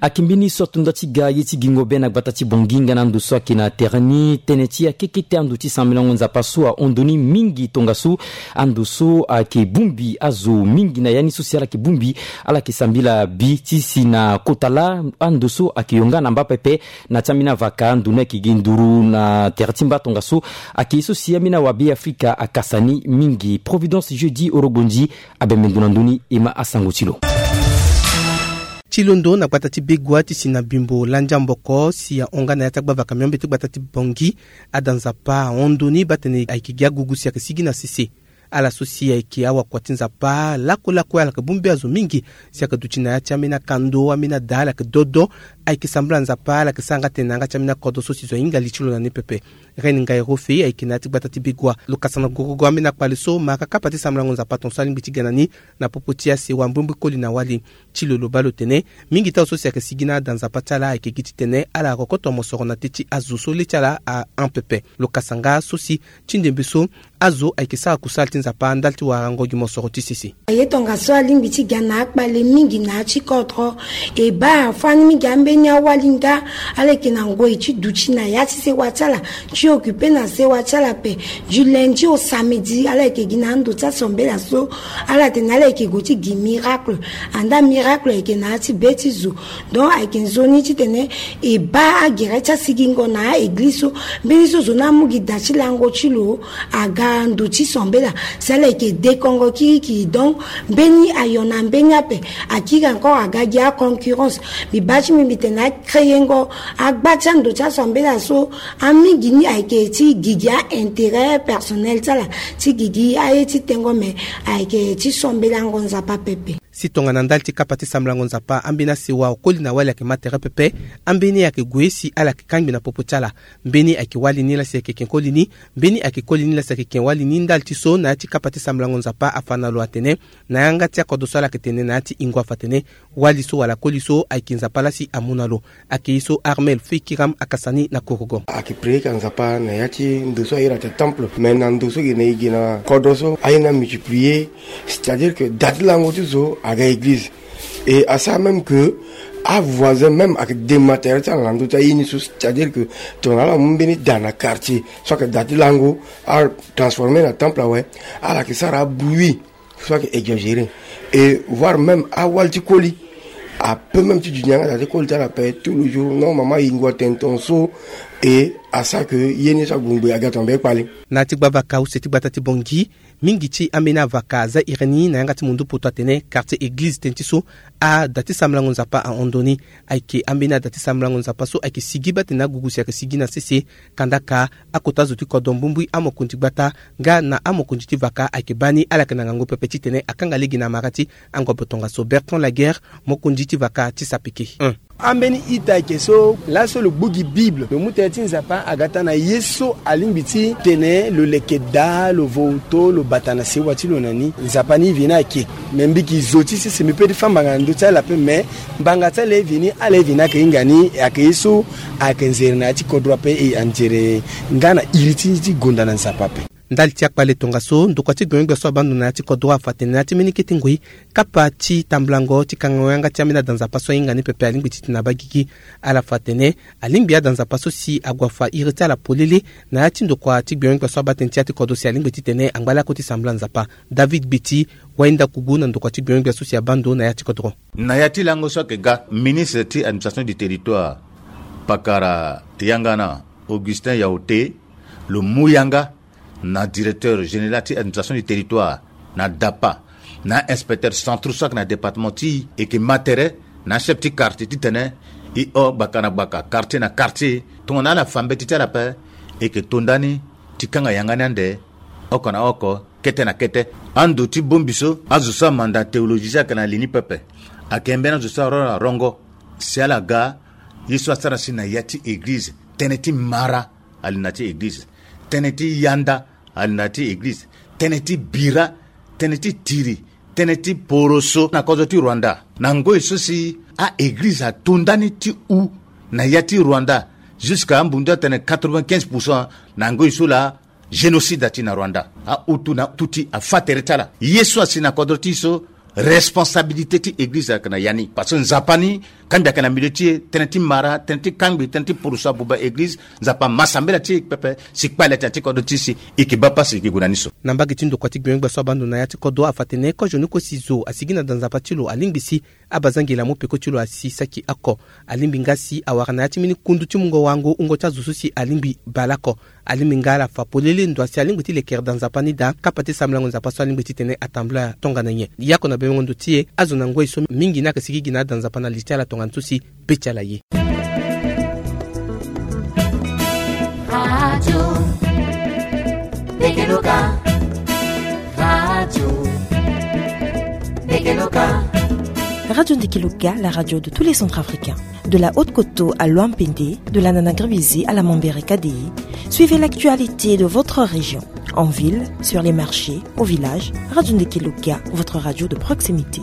Ayeke mbeni so atonda ti ga ye ti gingo be na gbata ti Bangui nga na ando so ayeke na tere ni. Tënë ti akekete ando ti sambilango Nzapa so ahon ndoni mingi tongaso. Ando so ayeke bongbi azo mingi na ya ni so si ala yeke bongbi, ala yeke sambela bi ti si na kota laa ando so ayeke yonga na mba pepe. Na ya ti ambeni avaka ndo ni ayeke gi nduru na tere ti mba tongaso. Ayeke ye so si ambeni awabe Afrika akasa ni mingi. Providence Jeudi Orogondi abembe ndo na ndö ni e ma asango ti lo. Ti londo na gbata ti Begua ti si na Bimbo Landia Mboko si ahon nga na ya ti agbavaka miombe ti gbata ti Bangui. Ada Nzapa ahon ndoni baa tene ayeke gi agugu si ayeke sigi na sese. Ala so si ayeke awakua ti Nzapa lakue lakue ala yeke bongbi azo mingi si ayeke duti na ya ti ambeni akando, ambeni ada ala yeke dodo. Ayeke sambela Nzapa, ala yeke sara nga tene na yanga ti ambeni akodro so si zo ahinga li ti lo na ni pepe. Reine Ngaï Rofe ayeke na ya ti gbata ti Begua. Lo kasa na gorogo ambeni akpale so, ma ka kapa ti sambelango Nzapa tongaso alingbi ti ga na ni na popo ti asewa mbrimbri koli na wali. Ti lo lo baa lo tene mingi ti azo so si ayeke sigi na ada Nzapa ti ala ayeke gi titene ala rokoto mosoro na te ti azo so le ti ala ahon pepe. Lo kasa nga so si ti ndembe so azo ayeke sara kusala ti Nzapa ndali ti warango gi mosoro ti sese. Aye tongaso alingbi ti ga na akpale mingi na ya ti kodro. E baa afani mingi ambeni awali nga ala yeke na ngoi ti duti na ya ti sewa ti ala, ti occupe na sewa ti ala ape. Du lundi au samedi ala yeke gi na ando ti asambela so ala tene ala yeke gue ti gi miracle. Andaa miracle ayeke na ya ti be ti zo. Donc ayeke nzoni titene e baa agere ti asigingo na a-eglize so. Mbeni so zo ni amu gi da ti lango ti lo aga ndo ti sambela si ala yeke dekongo kirikiri. Donc mbeni ayo na mbeni ape akiri encore aga gi aconcurrence. Mbi baa ti mbi mbi tene acréengo agba ti ando ti asambela so. Amingi ni ayeke ti gigi a-intérêt personnel ti ala, ti gigi aye ti tengo, me ayeke ti sambelango Nzapa pepe. Si tongana ndali ti kapa ti sambelango Nzapa ambeni asewa okoli na wali ayeke ma tere pepe. Ambeni ayeke gue si ala yeke kangbi na popo ti ala. Mbeni ayeke wali ni laa si ayeke ken koli ni. Mbeni ayeke koli ni laa si ayeke ken wali ni. Ndali ti so na ya ti kapa ti sambelango Nzapa afa na lo atene na yanga ti akodro so ala yeke tene na ya ti ingo afa atene wali so wala koli so ayeke Nzapa laa si amu na lo. Ayeke ye so Armel Feikiram akasa ni na korogo. Ayeke prier ka Nzapa na ya ti ndo so aye na ata temple, mais na ndo so gi na e gi na kodro so aye ni amultiplier. C'est-à-dire que da ti lango ti zo aga église. Et asara même que avoisin même ayeke dema tere ti ala na ndö ti aye ni so. C'est-à-dire que tongana ala mu mbeni da na quartier so ayeke da ti lango, atransformer na temple awe, ala yeke sara abruit so ayeke exagéré. Et voire même awali ti koli apeut même ti duti na yanga da ti koli ti ala ape tout le jour. Non, mama, yingo atene tongaso. Et asara que ye ni so agongbe aga tongana be kpale. Na ya ti gbavaka use ti gbata ti Bangui, mingi ti ambeni avaka aza iri ni na yanga ti mundu poto atene quartier église tënë ti so ada ti sambelango Nzapa ahon ndo ni. Ayeke ambeni ada ti sambelango Nzapa so ayeke sigi baa tene agugu si ayeke sigi na sese. Kandaka akota zo ti kodro mbumbui, amokonzi gbata nga na amokonzi ti vaka ayeke baa ni. Ala yeke na ngangu pepe titene akanga lege na amara ti angobo tongaso. Bertrand Laguerre, mokonzi ti vaka ti sapeke. Ambeni ita ayeke so laso lo gbu gi Bible, lo mu tënë ti Nzapa aga taa na ye so alingbi ti tene lo leke daa, lo voto, lo bata na sewa ti lo na ni. Nzapa ni ive ni ayeke. Me mbi yeke zo ti sese, mbi peut ti fâ mbanga na ndö ti ala ape, me mbanga ti ala ive ni, ala ive ni ayeke hinga ni. Ayeke ye so ayeke nzere na ya ti kodro ape, e anzere nga na iri ti gonda na Nzapa ape. Ndali ti akpale tongaso, ndokua ti gbenyo-gbia so abaa ndo na ya ti kodro afa atene na ya ti mbeni kete ngoi, kapa ti tambulango ti kangango yanga ti ambeni ada Nzapa so ahinga ni pepe alingbi titene abaa gigi. Ala fa atene alingbi ada Nzapa so si ague afa iri ti ala polele na ya ti ndokua ti gbenyo-gbia so abaa tënë ti ya ti kodro si alingbi titene angba lakue ti sambela Nzapa. David Gbiti, wayenda kugu na ndokua ti gbenyo-gbia so si abaa ndo na ya ti kodro. Na ya ti lango so ayeke ga, ministre ti administration du territoire, pakara yanga na Augustin Yaoté, lo mu yanga na directeur général ti administration du territoire, na DAPA, na inspecteur centraux so ayeke na département ti e, e yeke ma tere na chef ti quartier titene e hon gbaka na gbaka, quartier na quartier, tongana ala fa mbeti ti ala ape, e yeke to ndani ti kanga yanga ni ande oko na oko, kete na kete. Ando ti bongbi so, azo so amanda théologie so ayeke na li ni pepe, ayeke mbeni azo so arongo na rongo. Si ala ga ye so asara si na ya ti eglize, tënë ti mara ali na ya ti eglize, tënë ti yanda ali na ya ti eglize, tënë ti bira, tënë ti tiri, tënë ti poroso na kodro ti Rwanda. Na ngoi so si a-eglize ato ndani ti hu na ya ti Rwanda, jusqu'à ambundu atene quatre-vingt-quinze pour cent na ngoi so laa génocide ati na Rwanda. Ahutu na Tutsi afa tere ti ala. Ye so asi na kodro ti e so, responsabilité ti eglize ayeke na ya ni. Parce que Nzapa ni, kangbi ayeke na milieu ti e, tënë ti mara, tënë ti kangbi, tënë ti poroso abuba eglize, Nzapa ama sambela ti e pepe, si kpale ati na ya ti kodro ti e si e yeke baa pasi e yeke gue na ni so. Na mbage ti ndokua ti gbenyo-gbia so abaa ndo na ya ti kodro afa atene kozo ni kue si zo asigi na da Nzapa ti lo alingbi si abazangeli amu peko ti lo asi saki oko. Alingbi nga si awara na ya ti mbeni kundu ti mungo wango wungo ti azo so si alingbi bale oko. Alingbi nga ala fa polele ndo asi alingbi ti lekere da Nzapa ni daa, kapa ti sambelango Nzapa so alingbi titene atambula tongana nyen. Yako na bemengo ndo ti e, azo na ngoi so mingi ni ayeke sigi gi na ada Nzapa na li ti ala tongana so si be ti ala ye. Radio Bekeluka. Radio Bekeluka. Radio Ndekeluka, la radio de tous les Centrafricains. De la Haute-Koto à Loampende, de la Nana-Gribizé à la Mambere Kadéi, suivez l'actualité de votre région. En ville, sur les marchés, au village, Radio Ndekeluka, votre radio de proximité.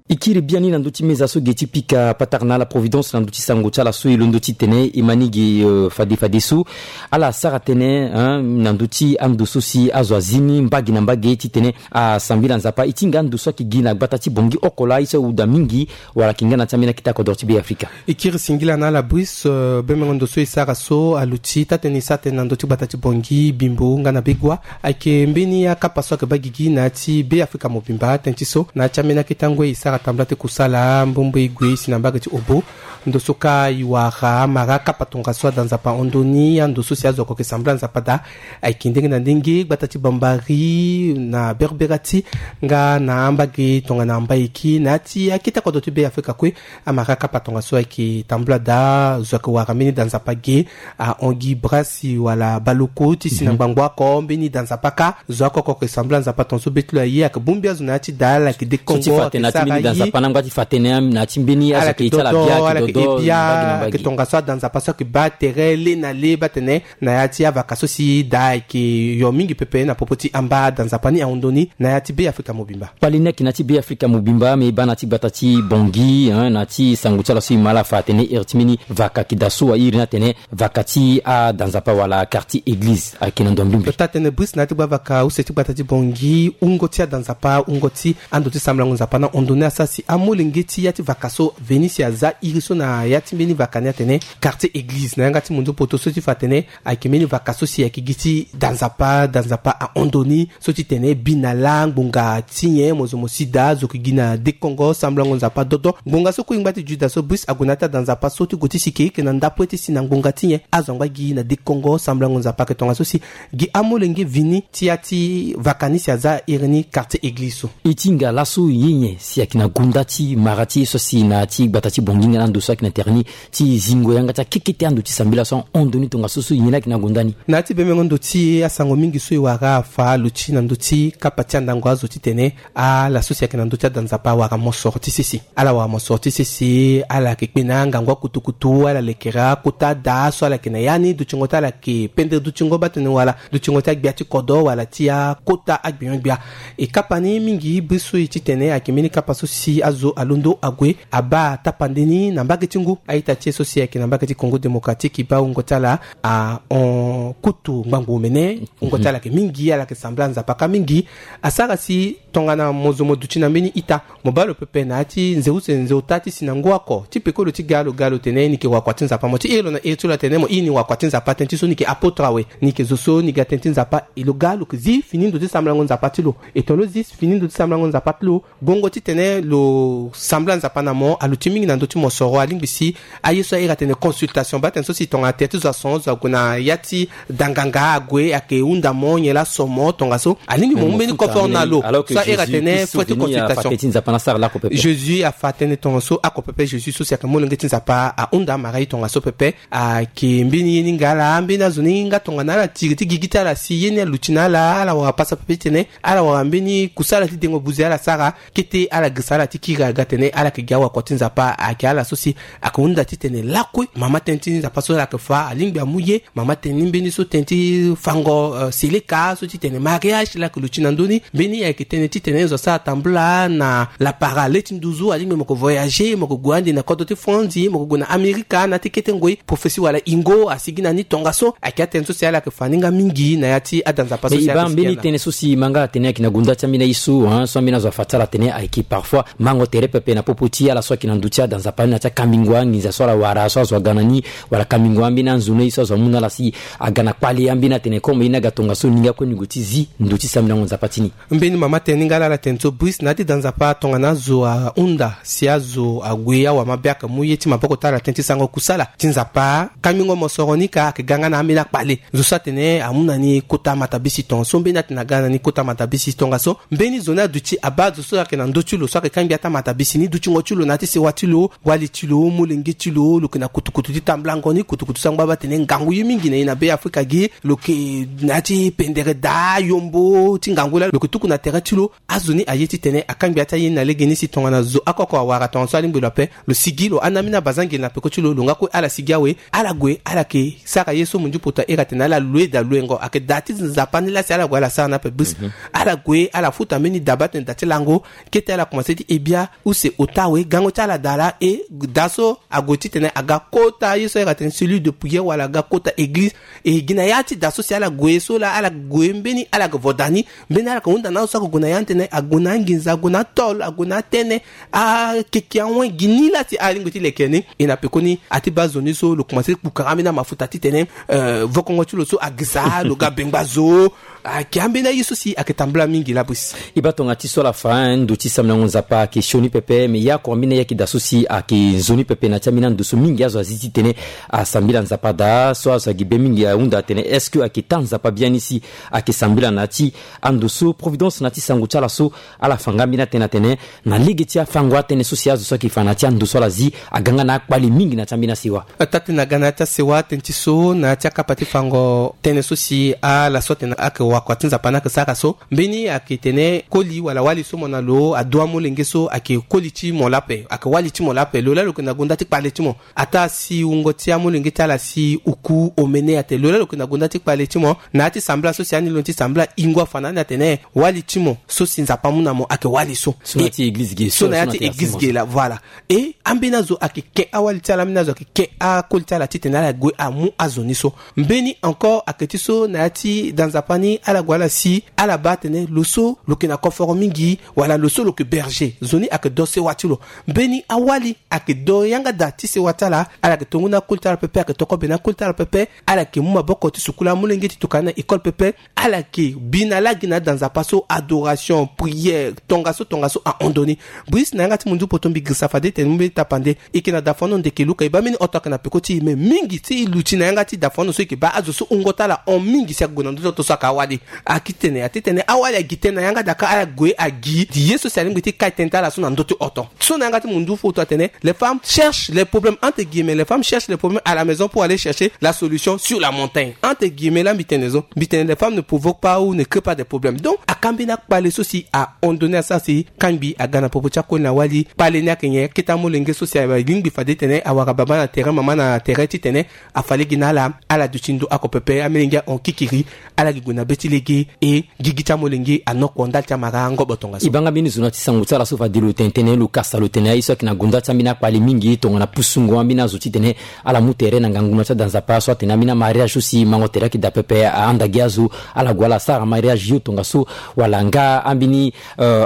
E kiri biani na ndö ti meza so ge ti pika patara na ala Providence na ndö ti sango ti ala so e londo titene e ma ni ge, euh, fade fade so. Ala sara tënë, hein, na ndö ti ando so si azo azi ni mbage na mbage titene asambela Nzapa. E ti hinga ando so ayeke gi na gbata ti Bangui oko laa, e so ahuda mingi wala ayeke nga na ya ti ambeni akete kodro ti Be Afrika. E kiri singila na ala Brice, euh, bemengo ndo so e sara so aluti taa-tënë e sara tënë na ndö ti gbata ti Bangui, Bimbo nga na Begoua. Ayeke mbeni akapa so ayeke baa gigi na ya ti Be Afrika mobimba. Tënë ti so, na ya ti ambeni akete angoi e sara tambula ti kusala mbombo e gue si na mbage ti Obo. Ndo so kâ e wara amara akapa tongaso ada Nzapa ahon ndo ni, ando so si azo oko ayeke sambela Nzapa daa. Ayeke ndenge na ndenge, gbata ti Bambari, na Berberati, nga na ambage tongana Mbaiki, na ya ti akete kodro ti Be Afrika kue, amara akapa tongaso ayeke tambula daa. Zo ayeke wara mbeni da Nzapa ge, ahon gi brasi wala baloko ti si na ngbangbo oko, mbeni da Nzapa kâ. Zo oko oko ayeke sambela Nzapa tongaso be ti lo aye, ayeke bongbi azo na ya ti da, ala yeke dekongo, ala yeke sara ye. Nzapa na ngba ti fa tënë na ya ti mbeni azo ayeke dodo, ala yeke ebia, ayeke tongaso ada Nzapa so ayeke baa tere le na le baa tene na ya ti avaka so si da ayeke yo mingi pepe na popo ti amba ada Nzapa ni ahon ndo ni na ya ti Be Afrika mobimba. Kpale ni ayeke na ya ti Be Afrika mobimba, me e baa na ya ti gbata ti Bangui, hein, na ya ti sango ti ala so e ma ala fa atene iri ti mbeni vaka ayeke daa so airi ni atene vaka ti ada Nzapa wala quartier église ayeke na ndo mbi mbi. Taa-tënë Brice, na ya ti gbavaka use ti gbata ti Bangui, wungo ti ada Nzapa, wungo ti ando ti sambelango Nzapa na hon ndo ni asara si amolenge ti ya ti vaka so veni si aza iri so na ya ti mbeni vaka ni atene quartier église na yanga ti mundu poto so ti fa atene ayeke mbeni vaka so si ayeke gi ti da Nzapa, da Nzapa ahon ndo ni, so ti tene bi na laa ngbonga ti nyen mo zo mo si daa, zo yeke gi na dekongo sambelango Nzapa dodo. Ngbonga so kue e ngba ti Juda so Brice ague na ya ti ada Nzapa so ti gue ti si e yeke na ndapue ti si na ngbonga ti nyen azo angba gi na dekongo sambelango Nzapa, ayeke tongaso si gi amolenge vini ti ya ti vaka ni si aza iri ni quartier église so. E ti hinga laso ye nyen si ayeke na gonda ti mara ti ye so asi na ya ti gbata ti Bangui nga na ando so ayeke na tere ni ti zingo yanga ti akekete ando ti sambela so ahon ndo ni tongaso so nyen ayeke na gonda ni. Na ya ti bemengo ndo ti e, asango mingi so e wara afa aluti na ndö ti kapa ti andango azo titene ala so si ayeke na ndö ti ada Nzapa awara mosoro ti sese. Ala wara mosoro ti sese, ala yeke kpe na angangu akutukutu, ala lekere akota daa so ala yeke na ya ni, dutingo ti ala yeke pendere dutingo baa tene wala dutingo ti agbia ti kodro wala ti akota agbenyo-gbia. E kapa ni mingi biri so e titene ayeke mbeni kapa so si ti azo alondo ague abaa tapande ni na mbage ti ngu. A-ita ti e so si ayeke na mbage ti Congo Démocratique e baa wungo ti ala ahon kutu ngbangbo omene. Wungo ti ala ayeke mingi, ala yeke sambela Nzapa ka mingi. Asara si tongana mo zo mo duti na mbeni ita, mo baa lo pepe na ya ti nze use nze ota ti si na ngu oko ti peko lo ti ga lo ga lo tene ni yeke wakua ti Nzapa. Mo ti iri lo na iri ti lo atene mo iri ni wakua ti Nzapa, tënë ti so ni yeke apôtre awe, ni yeke zo so ni ga tënë ti Nzapa. E lo ga lo yeke zi fini ndo ti sambelango Nzapa ti lo. E tongana lo zi fini ndo ti sambelango Nzapa ti lo, gongo titene lo sambela Nzapa na mo aluti mingi na ndö ti mosoro. Alingbi si aye so a iri atene consultation, baa tënë so si tongana tere ti zo ason, zo ague na ya ti danganga ague, ayeke hunda mo nyen laa so mo tongaso. Alingbi mo mu mbeni koforo na lo. So a iri atene fo ti consultation. Jésus afa tënë tongaso oko pepe. Jésus afa tënë tongaso oko pepe. Jésus so si ayeke molenge ti Nzapa ahunda Marie tongaso pepe. Ayeke mbeni ye ni nga ala, mbeni azo ni nga tongana ala tiri ti gigi ti ala si ye ni aluti na ala, ala wara pasa pepe titene ala wara mbeni kusala ti dengo buze ala sara. Kete ala girisa ala ti kiri aga tene ala yeke gi awakua ti Nzapa. Ayeke ala so si ayeke hunda titene lakue mama tënë ti Nzapa so ala yeke fa alingbi amu ye. Mama tënë ni mbeni so tënë ti fango, euh, seleka so titene mariage la yeke luti na ndö ni. Mbeni ayeke tënë titene zo asara tambula na lapara le ti nduzu, alingbi mo yeke voyager, mo yeke gue ande na kodro ti Franzi, mo yeke gue na Amerika na ya ti kete ngoi. Prophesie wala ingo asigi na ni tongaso. Ayeke atënë so si ala yeke fa ni nga mingi na ya ti ada Nzapa so si ala yeke sigi na. Mbeni tënë so si ma nga atene ayeke na gunda ti ambeni aye so, hein, so ambeni azo afa ti ala atene ayeke parfois mango tere pepe na popo ti ala so ayeke na ndö ti ada Nzapa ni na ya ti akambingo anginza so ala wara so azo aga na ni, wala kambingo ambeni anzono ye so azo amu na ala si aga na kpale ambeni atene comme ye ni aga tongaso ni nga kue ni gue ti zi ndö ti sambelango Nzapa ti ni. Mbeni mama tënë ni nga laa ala tene so Brice na ya ti da Nzapa tongana azo ahunda si azo ague awamabe ayeke mu ye ti maboko ti ala tënë ti sarango kusala ti Nzapa. Kambingo mosoro ni ka ayeke ga nga na ambeni akpale. Zo so atene amu na ni kota matabisi tongaso, mbeni atene aga na ni kota matabisi tongaso. Mbeni zo ni aduti abaa zo so ayeke na ndö ti lo so ayeke kangbi ata matabisi ni, dutingo ti lo na ya ti sewa ti lo, wali ti lo, molenge ti lo, lo yeke na kutukutu ti tambulango ni, kutukutu so angba baa tene ngangu ye mingi na e na Be Afrika gi. Lo yeke na ya ti pendere daa yombo ti ngangu laa lo yeke tuku na tere ti lo. Azo ni aye titene akangbi ata ye ni na legeni si tongana zo oko oko awara tongaso alingbi lo ape, lo sigi lo hana ambeni abazangeli na peko ti lo, lo nga kue ala sigi awe. Ala gue ala yeke sara ye so munzu poto a iri atene ala lue da luengo. Ayeke da ti Nzapa ni laa si ala gue ala sara ni ape Brice. Ala gue ala futa mbeni da baa tene da ti lango. Kete ala komanse ti he bia use ota awe, gango ti ala daa laa. E da so ague titene aga kota ye so a iri atene cellule de prière wala aga kota église. E gi na ya ti da so si ala gue so laa ala gue mbeni ala yeke vo da ni. Mbeni ala yeke hunda na azo so ayeke gue na ya ni tene ague na anginza, ague na atol, ague na atene, akeke awen gi ni laa si alingbi ti leke ni. E na pekoni a ti baa zo ni so lo komanse ti kpukara ambeni amafuta titene, euh, vokongo ti lo so agisa lo ga bengba zo. Ayeke ambeni aye so si ayeke tambula mingi laa Brice. E baa tonga ti so ala fa, hein, ndo ti sambelango Nzapa ayeke sioni pepe, me ya oko ambeni aye ayeke daa so si ayeke nzoni pepe na ya ti ambeni ando so mingi azo azi titene asambela Nzapa daa. So azo agi be mingi ahunda atene est-ce que ayeke taa Nzapa biani si ayeke sambela na ya ti ando so? Providence na ya ti sango ti ala so ala fa nga ambeni atënë atene na lege ti afango atënë so si azo so ayeke fa na ya ti ando so ala zi aga nga na akpale mingi na ya ti ambeni asewa. Taa tënë aga na ya ti asewa tënë ti so na ya ti akapa ti fango tënë so si ala so atene ayeke wakua ti Nzapa ni ayeke sara so. Mbeni ayeke tene koli wala wali so mo na lo adu amolenge so ayeke koli ti mo laa ape, ayeke wali ti mo laa ape. Lo laa lo yeke na gonda ti kpale ti mo. Ataa si wungo ti amolenge ti ala si uku omene atene lo laa lo yeke na gonda ti kpale ti mo na ya ti sambela so si ani lo ni ti sambela ingo afa na ani atene wali ti mo so si Nzapa amu na mo ayeke wali so. So na ya ti église ge, so na ya ti église ge laa, voilà. E ambeni azo ayeke ke awali ti ala, ambeni azo ayeke ke akoli ti ala titene ala gue amu azo ni so. Mbeni encore ayeke ti so na ya ti da Nzapa ni ala gue ala si ala baa atene lo so lo yeke na koforo mingi wala lo so lo yeke berger. Zo ni ayeke do sewa ti lo. Mbeni awali ayeke do yanga daa ti sewa ti ala. Ala yeke tongo na akoli ti ala pepe, ayeke tokobe na akoli ti ala pepe. Ala yeke mu maboko ti sukula amolenge ti tokua na école pepe. Ala yeke bi na lagi na ada Nzapa so, adoration, prière, tongaso tongaso ahon ndo ni. Brice, na yanga ti munzu poto mbi girisa fade tene mu mbeni tapande. E yeke na dafano ndeke luka e baa mbeni oto ayeke na peko ti e, me mingi ti e luti na yanga ti dafano so e yeke baa azo so wungo ti ala hon mingi si ayeke gue na ndö ti oto so ayeke awali. Aki tene, a ti tene awali agi tënë na yanga daa ka ala gue agi ye so si alingbi ti kai tënë ti ala so na ndö ti oto. So na yanga ti munzu poto atene les femmes cherchent les problèmes, entre guillemets, les femmes cherchent les problèmes à la maison pour aller chercher la solution sur la montagne. Entre guillemets laa mbi tene zo, mbi tene les femmes ne provoquent pas ou ne créent pas des problèmes. Donc aka mbeni akpale so si ahon ndo ni asara si kangbi aga na popo ti akoli na wali. Kpale ni ayeke nyen? Akete amolenge so si alingbi fade tene awara baba na tere, mama na tere titene afa lege na ala, ala duti ndo oko pepe, amolenge ahon kikiri, ala gi gue na be ti lege e gigi ti amolenge anoko ndali ti amara ngobo tongaso. E baa nga mbeni zo na ti sango ti ala so fade lo tene tënë lo kasa lo tene aye so ayeke na gonda ti ambeni akpale mingi tongana pusungo ambeni azo titene ala mu tere na ngangu na ti ada nzapa so atene ambeni amariage so si mango tere ayeke daa pepe ahanda gi azo ala gue ala sara mariage yo tongaso wala nga ambeni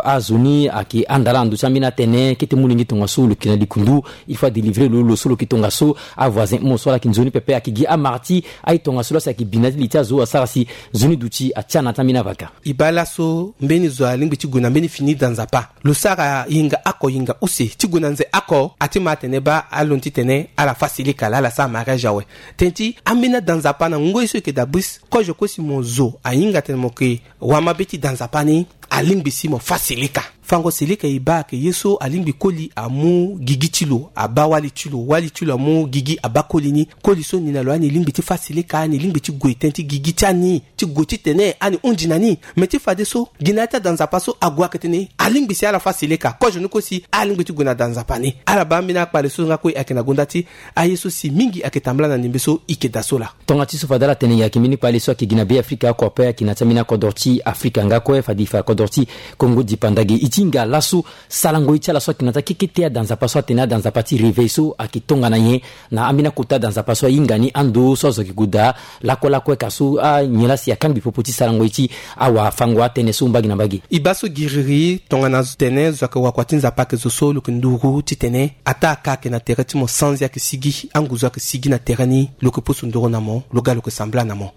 azo ni ayeke handa ala na ndö ti ambeni atene kete molenge tongaso lo yeke na likundu. Il faut adélivrer lo lo so lo yeke tongaso. Avoisin mo so ala yeke nzoni pepe ayeke gi amara ti aye tongaso laa si ayeke bi na ti li ti azo asara si nzoni duti atia na ya ti ambeni avaka. E baa laso mbeni zo alingbi ti gue na mbeni fini da nzapa. Lo sara hinga oko hinga use ti gue na nze oko ati ma atene baa alondo titene ala fâ silika laa ala sara mariage awe. Tënë ti ambeni ada nzapa na ngoi so e yeke daa bris kozo kue si mo zo ahinga atene mo yeke wamabe ti da nzapa ni. Alingbi si mo fâ silika. Fango silika e baa ayeke ye so alingbi koli amu gigi ti lo abaa wali ti lo wali ti lo amu gigi abaa koli ni. Koli so ni na lo ani lingbi ti fâ silika ani lingbi ti gue tënë ti gigi ti ani ti gue titene ani hunzi na ni. Me ti fadeso gi na ya ti ada nzapa so ague ayeke tene alingbi si ala fâ silika kozo ni kue si alingbi ti gue na da nzapa ni. Ala baa ambeni akpale so nga kue ayeke na gonda ti aye so si mingi ayeke tambula na ndembe so e yeke daa so laa. Tonga ti so fade ala tene nyen ayeke mbeni kpale so ayeke gi na be afrika oko ape ayeke na ti ambeni akodro ti afrika nga kue fade e fa kodro ti kongo dipanda ge e ti hinga laso. Sarango ye ti ala so ayeke na ti akekete ada nzapa so atene ada nzapa ti réveil so ayeke tongana nyen na ambeni akota ada nzapa so ahinga ni ando so azo ayeke gue daa lakue lakue ka so anyen laa si akangbi popo ti sarango ye ti awafango atënë so mbage na mbage. E baa so giriri tongana tene zo ayeke wakua ti nzapa ayeke zo so lo yeke nduru titene ataa aka ayeke na tere ti mo sanzi ayeke sigi anguzu ayeke sigi na tere ni lo yeke pusu nduru na mo lo ga lo yeke sambela na mo.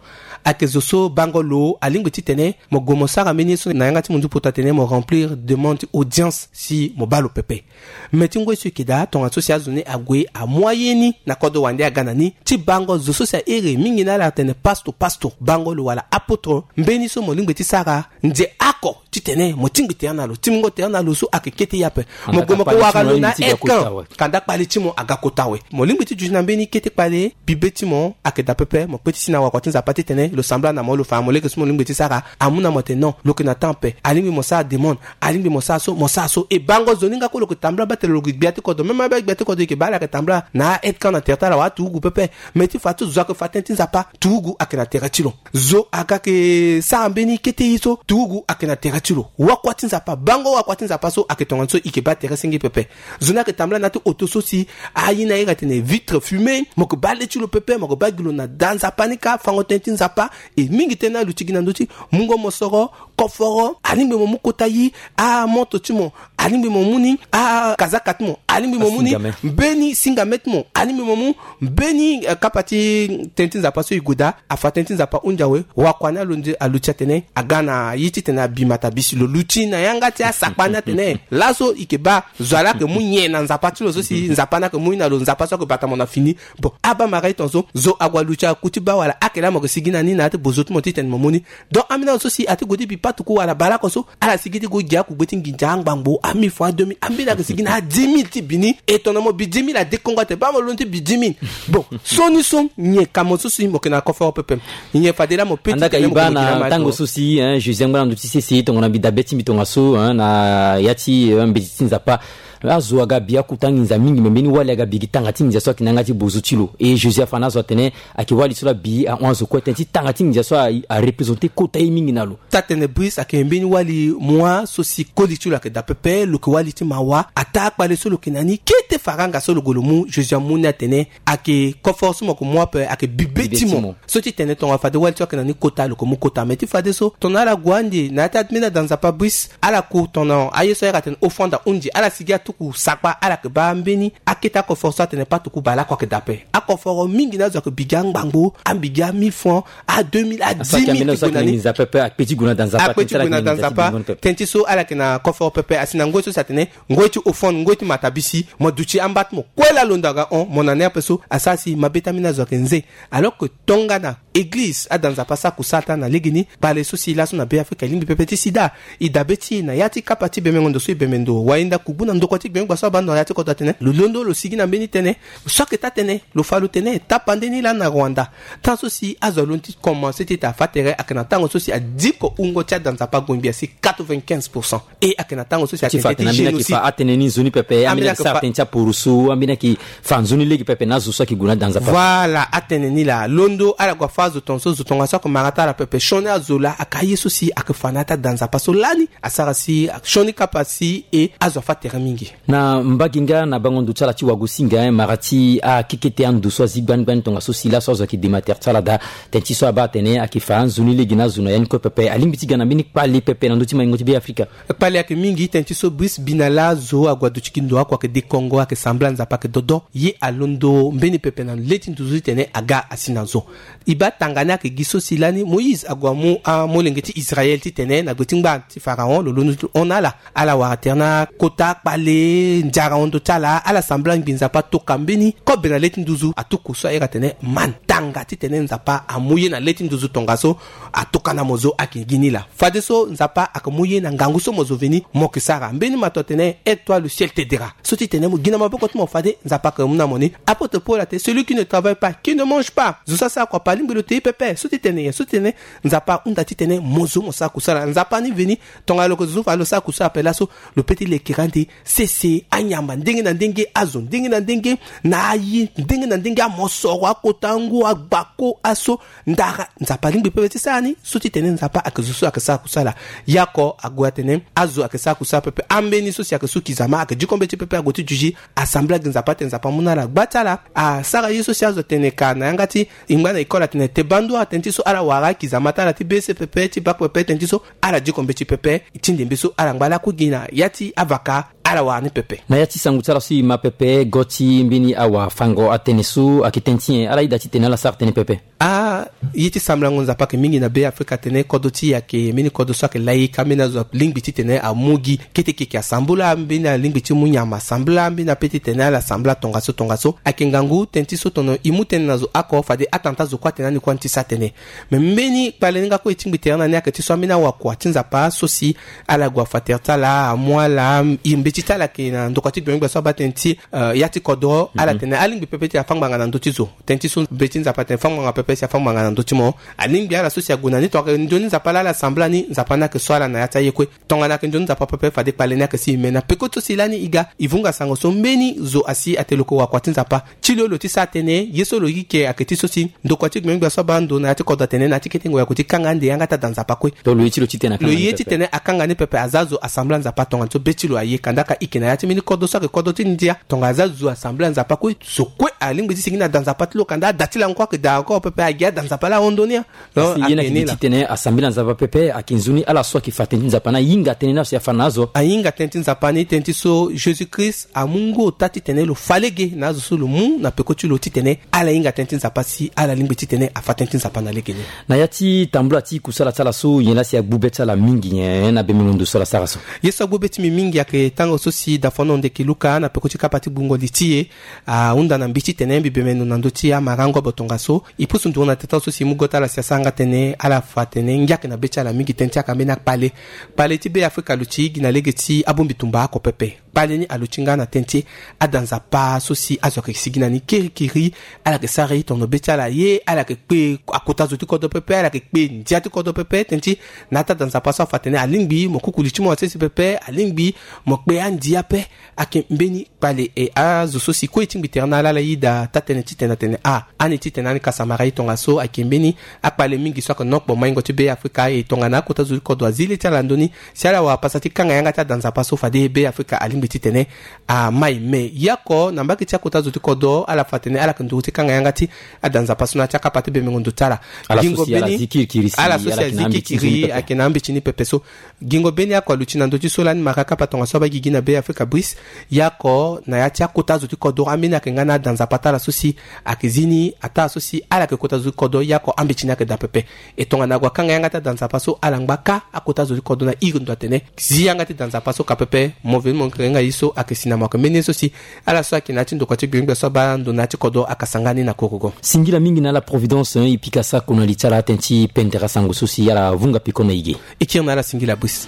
Ayeke zo so bango lo alingbi titene mo gue mo sara mbeni ye so na yanga ti mundu poto atene mo remplir demande ti audience si mo baa lo pepe. Me ti ngoi so e yeke daa tongaso si azo ni ague amu aye ni na kodro wande aga na ni ti bango zo so si ahere mingi na ala atene pasto pasto bango lo wala apotre mbeni so mo lingbi ti sara nze oko titene mo tingbi tere na lo tingbingo tere na lo so ayeke kete ye ape. Mo gue mo ke wara lo na ekan kanda kpale ti mo aga kota awe. Mo lingbi ti duti na mbeni kete kpale bibe ti mo ayeke daa pepe mo kpe ti si na wakua ti nzapa titene lo sambela na mo lo fa na mo lege so mo lingbi ti sara. Amu na mo atene non lo yeke na temps ape alingbi mo sara demande alingbi mo sara so mo sara so e bango zo ni nga kue lo yeke tambula baa tene lo yeke gbia ti kodro même abaa gbia ti kodro e yeke baa ala yeke tambula na a aide camp na tere ti ala wala turugu pepe. Me ti fa ti zo ayeke fa tënë ti nzapa turugu ayeke na tere ti lo. Zo aga yeke sara mbeni kete ye so turugu ayeke na tere ti lo wakua ti nzapa bango wakua ti nzapa so ayeke tongana so e yeke baa tere senge pepe. Zo ni ayeke tambula na ya ti oto so si aye ni ahinga atene vitre fume mo yeke baa le ti lo pepe mo yeke baa gi lo na da nzapa ni kâ fango tënë ti nzapa. E mingi tënë ni aluti gi na ndö ti mungo mosoro koforo alingbi mo mu kota ye amonto ti mo alingbi mo mu ni akazaka ti mo alingbi mo mu ni mbeni singame ti mo alingbi mo mu mbeni kapa ti tënë ti nzapa so e gue daa afa tënë ti nzapa hunzi awe. Wakua ni alonde aluti atene aga na ye titene abi matabisi lo luti na yanga ti asakpa ni atene laso e yeke baa zo ala yeke mu nyen na nzapa ti lo so si nzapa ni ayeke mu ye na lo nzapa so ayeke bata mo na fini. Bon abaa mara ye tongaso zo ague aluti aku ti baa wala ake laa mo yeke sigi na ni na ya ti bozo ti mo titene mo mu ni. Donc ambeni azo so si ati gue ti bi patuku wala baleoko so ala sigi ti gue gi akugbe ti nginza angbangbo amille fois deux mille ambeni ayeke sigi na adix mille ti bi ni. E tongana mo bi dix mille adekongo atene baa mo londo ti bi dix mille. Bon so ni so nyen ka mo so si mo yeke na koforo pepe. Nyen fade laa mo pe ti tene mo yeke na ntango so si josé angba na ndö ti sese tongana mbi dabe ti mbi tongaso na ya ti mbeti ti nzapa. Azo aga bi akota nginza mingi me mbeni wali aga bi gi tanga ti nginza so ayeke na yanga ti bozo ti lo e josé afa na azo atene ayeke wali so laa bi ahon azo kue tënë ti tanga ti nginza so arepresente kota ye mingi na lo. Ti atene bris ayeke mbeni wali mua so si koli ti lo ayeke daa pepe lo yeke wali ti mawa ataa akpale so lo yeke na ni kete faranga so lo gue lo mu josé amu ni atene ayeke koforo so mo yeke mu ape ayeke bibe ti mo. So ti tene tonga fade wali ti lo ayeke na ni kota lo yeke mu kota me ti fadeso tongana ala gue ande na ya ti ambeni ada nzapa bris ala ku tongana aye so ayeke atene offrande ahunzi ala sigi atuku sakpa ala yeke baa mbeni akete akoforo so atene patuku baleoko ayeke daa ape. Akoforo mingi na azo ayeke bi gi angbangbo abi gi amille francs a deux mille a dix mille ti gue na ni. Akpe ti gue na da nzapa tënë ti so ala yeke na koforo pepe asi na ngoi so si atene ngoi ti offrande ngoi ti matabisi mo duti amba ti mo kue laa londo aga hon mo na ni ape so asara si mabe ti ambeni azo ayeke nze. Alors que tongana eglize ada nzapa sara kusala ti ala na legeni kpale so si laso na be afrika e lingbi pepe ti sida. E dabe ti e na ya ti kapa ti bembengo ndo so e bembe ndo wainda kugbu na ndokua ti gbengbe gba so abaa ndo na ya ti kodro atene lo londo lo sigi na mbeni tënë so ayeke taa tënë lo fa lo tene tapande ni lani na rwanda. Tan so si azo alondo ti komanse ti ete afa tere ayeke na tango so si adiko wungo ti ada nzapa ague ngbi asi quatre-vingt-quinze pour cent. E ayeke na tango so si Ti fa tene ambeni ayeke fa atënë ni nzoni pepe, ambeni ayeke sara tënë ti apurusu, ambeni ayeke fa nzoni lege pepe na azo so ayeke gue na da nzapa. Voilà, atënë ni laa. Londo ala gue afâ azo tongaso, zo tongaso ayeke mara ti ala pepe. Sioni azo laa ayeke aye so si ayeke fa na ya ti ada nzapa so lani asara si sioni kapa si e azo afâ tere mingi. Na mbage nga na bango ndo ti ala ti wagosinga, eh, mara ti akekete ando so azi gbani gbani tongaso si laso azo ayeke dema tere ti ala daa. Tënë ti so abaa atene ayeke fa anzoni lege na azo na ya ni kue pepe. Alingbi ti ga na mbeni kpale pepe na ndö ti maingo ti Be Afrika. Kpale ayeke mingi, tënë ti so Brice Binala, zo ague aduti gi ndo oko ayeke de Kongo, ayeke sambela Nzapa ayeke dodo. Ye alondo mbeni pepe na le ti nduzu titene aga asi na zo. E baa tanga ni ayeke gi so si lani Moïse ague amu amolenge ti Israel titene na gbe ti ngba ti Pharaon lo londo ti lo hon na ala. Ala wara tere na kota kpale, nzara hon ndö ti ala, ala sambela ngbi Nzapa tokua mbeni kobe na le ti nduzu. Atuku so ahiri atene man, tanga titene Nzapa amu ye na le ti nduzu tongaso. Atokua na mo zo ayeke gi ni laa. Fadeso Nzapa ayeke mu ye na ngangu so mo zo veni mo yeke sara. Mbeni mato atene, aide-toi, le ciel t'aidera. So ti tene mo gi na maboko ti mo fade Nzapa ayeke mu na mo ni. Apôtre Paul atene, celui qui ne travaille pas, qui ne mange pas. Zo so asara kua pe alingbi lo te ye pepe. So ti tene nyen? So ti tene Nzapa ahunda titene mo zo mo sara kusala. Nzapa ni veni, tongana lo yeke zo so fa lo sara kusala ape laso, lo peut ti lekere ande sese anyama ndenge na ndenge, azo ndenge na ndenge, na aye ndenge na ndenge, amosoro, akota ngu, agbako, aso, ndara. Nzapa alingbi pepe ti sara ni. So ti tene Nzapa ayeke zo so ayeke sara kusala. Ye oko ague atene azo ayeke sara kusala pepe. Ambeni so si ayeke su kizama ayeke diko mbeti pepe, ague ti duti asambela gi Nzapa atene Nzapa amu na ala gba ti ala. Asara ye so si azo atene ka na yanga ti e ngba na école atene te bandu atene ti so ala wara akizama ti ala ti be se pepe ti bak pepe tene ti so ala diko mbeti pepe. Ti ndembe so ala ngba lakue gi na ya ti avaka ala wara ni pepe. Na ya ti sango ti ala so e ma pepe, go ti mbeni awafango atënë so ayeke tënë ti nyen? Ala yeda titene ala sara tënë pepe. Ah, ye ti sambelango Nzapa ayeke mingi na Be Afrika atene kodro ti e ayeke mbeni kodro so ayeke laïc, ambeni azo alingbi titene amu gi kete keke asambela, ambeni alingbi ti mu nyama asambela, ambeni ape titene ala sambela tongaso tongaso. Ayeke ngangu tënë ti so tono e mu tënë na zo oko fade atanga ti azo kue atene ani kue ani ti sara tënë. Me mbeni kpale ni nga kue e tingbi tere na ni ayeke ti so ambeni awakua ti Nzapa so si ala gue afa tere ti ala, amu ala, e mbeti ti ala ayeke na ndokua ti gbengbe gbia so abaa tënë ti, eh, ya ti kodro. Ala tene alingbi pepe ti afâ ngbanga na ndö ti zo. Tënë ti so mbeti Nzapa atene fâ ngbanga pepe si afâ ngbanga na ndö ti mo. Alingbi ala so si ague na ni tongana ayeke nzoni Nzapa laa ala sambela ni, Nzapa ni ayeke so ala na ya ti aye kue. Tongana ayeke nzoni Nzapa pepe fade kpale ni ayeke si. Me na peko ti so si lani e ga e vunga sango so mbeni zo asi atene lo yeke wakua ti Nzapa. Ti lo lo ti sara tënë, ye so lo yeke ayeke ti so si ndokua ti gbengbe gbia so abaa ndo na ya ti kodro atene na ya ti kete ngoi ague ti kanga ande yanga ti ada Nzapa kue. Donc lo ye ti lo titene akanga ni pepe. Lo ye titene akanga ni pepe, aza zo asambela Nzapa tongana so be ti lo aye. Kandaka e yeke na ya ti mbeni kodro so ayeke kodro ti ndia, tongana aza zo asambela Nzapa kue, zo kue alingbi ti sigi na da Nzapa ti lo. Kanda ada ti lango kue ayeke daa encore pepe, agi ada Nzapa laa ahon ndoni. Asi ye ni ayeke gi titene asambela Nzapa pepe, ayeke nzoni ala so ayeke fa tënë ti Nzapa ni ahinga tënë ni ala so e afa na azo. Ahinga tënë ti Nzapa ni, tënë ti so Jésus Christ amu ngu ota titene lo fa lege na azo so lo mu na peko ti lo titene ala hinga tënë ti Nzapa si ala lingbi titene afa tënë ti Nzapa na lege ni. Na ya ti tambula ti kusala ti ala so nyen laa si agbu be ti ala mingi nyen na bembengo ndo so ala sara so? Ye so agbu be ti mbi mingi ayeke tango so si dafono ndeke Luka na peko ti kapa ti gbungo li ti e ahunda na mbi titene mbi bembengo na ndö ti amara ngobo tongaso. E pusu nduru na tënë so si e mu go ti ala si asara nga tënë, ala fa tënë ngia ayeke na be ti ala mingi. Tënë ti ayeke ambeni akpale. Kpale ti Be Afrika aluti gi na lege ti abongbi tumba oko pepe. Kpale ni aluti nga na tënë ti ada Nzapa so si azo ayeke sigi na ni kirikiri. Ala yeke sara ye tono be ti ala ye, ala yeke kpe akota zo ti kodro pepe, ala yeke kpe ndia ti kodro pepe. Tënë ti na ya ti ada Nzapa so afa tënë alingbi mo kuku li ti mo asese pepe, alingbi mo kpe andi ape. Ayeke mbeni kpale. E azo so si kue e tingbi tere na ala, ala yeda taa tënë titene atene a, ani titene ani kasa mara ye tongaso. Ayeke mbeni akpale mingi so ayeke na okpo maingo ti Be Afrika. E tongana akota zo ti kodro azi le ti ala na ndö ni si ala wara pasa ti kanga yanga ti ada Nzapa so fade Be Afrika alingbi titene amai. Me ye oko na mbage ti akota zo ti kodro ala fa tënë ala yeke nduru ti kanga yanga ti ada Nzapa so na ya ti akapa ti bembengo ndo ti ala. Ala so si ala zi kirikiri si ala yeke na ambeti ni pepe. Ayeke na ambeti ni pepe so. Gingo mbeni oko aluti na ndö ti so lani mara kapa tongaso abaa gigi na Be Afrika Brice. Ye oko na ya ti akota zo ti kodro ambeni ayeke nga na ada Nzapa ti ala so si ayeke zi ni ataa so si ala yeke kota zo ti kodro. Ye oko ambeti ni ayeke daa pepe. E tongana ague akanga yanga ti ada Nzapa so ala ngba kâ akota zo ti kodro na iri ndo atene zi yanga ti da Nzapa so ka pepe. Mo veni mo yeke Nga ye so ayeke si na mo ayeke mbeni ye so si ala so ayeke na ya ti ndokua ti gbengbe so abaa ndo na ya ti kodro ayeke sanga ni na korogo. Singila mingi na ala Providence, eh, e pika sako na li ti ala tënë ti pendere asango so si ala vunga peko na e ge. E kiri na ala singila bus.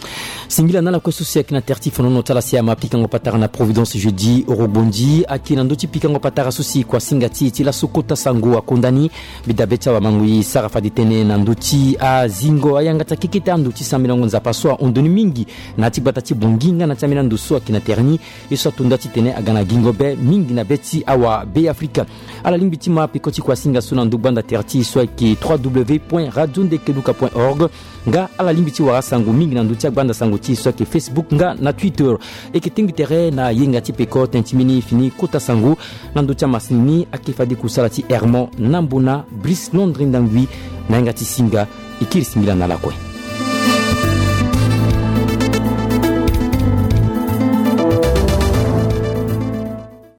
Singila na ala kue so si ayeke na tere ti fonono ti ala si ama pikango patara na Providence jeudi orogbonzi ayeke na ndö ti pikango patara so si kua singa ti e ti laso kota sango akonda ni. Mbi dabe ti awamangui sara fade tënë na ndö ti azingo ayanga ti akekete ando ti sambelango Nzapa so ahon ndo ni mingi na ya ti gbata ti Bangui nga na ti ambeni ando so ayeke na tere ni. Ye so ato nda titene aga na gingo be mingi na be ti awa Be Afrika. Ala lingbi ti ma peko ti kua singa so na ndo gbanda tere ti e so ayeke trois w point radio ndekeluka point org. Nga ala lingbi ti wara sango mingi na ndö ti agbanda sango ti e so ayeke Facebook nga na Twitter. E yeke tengbi tere na yenga ti peko tënë ti mbeni fini kota sango na ndö ti amasini ni ayeke fade kusala ti Hermon Nambona, Brice Londre Ndangui. Na yenga ti singa, e kiri singila na ala kue.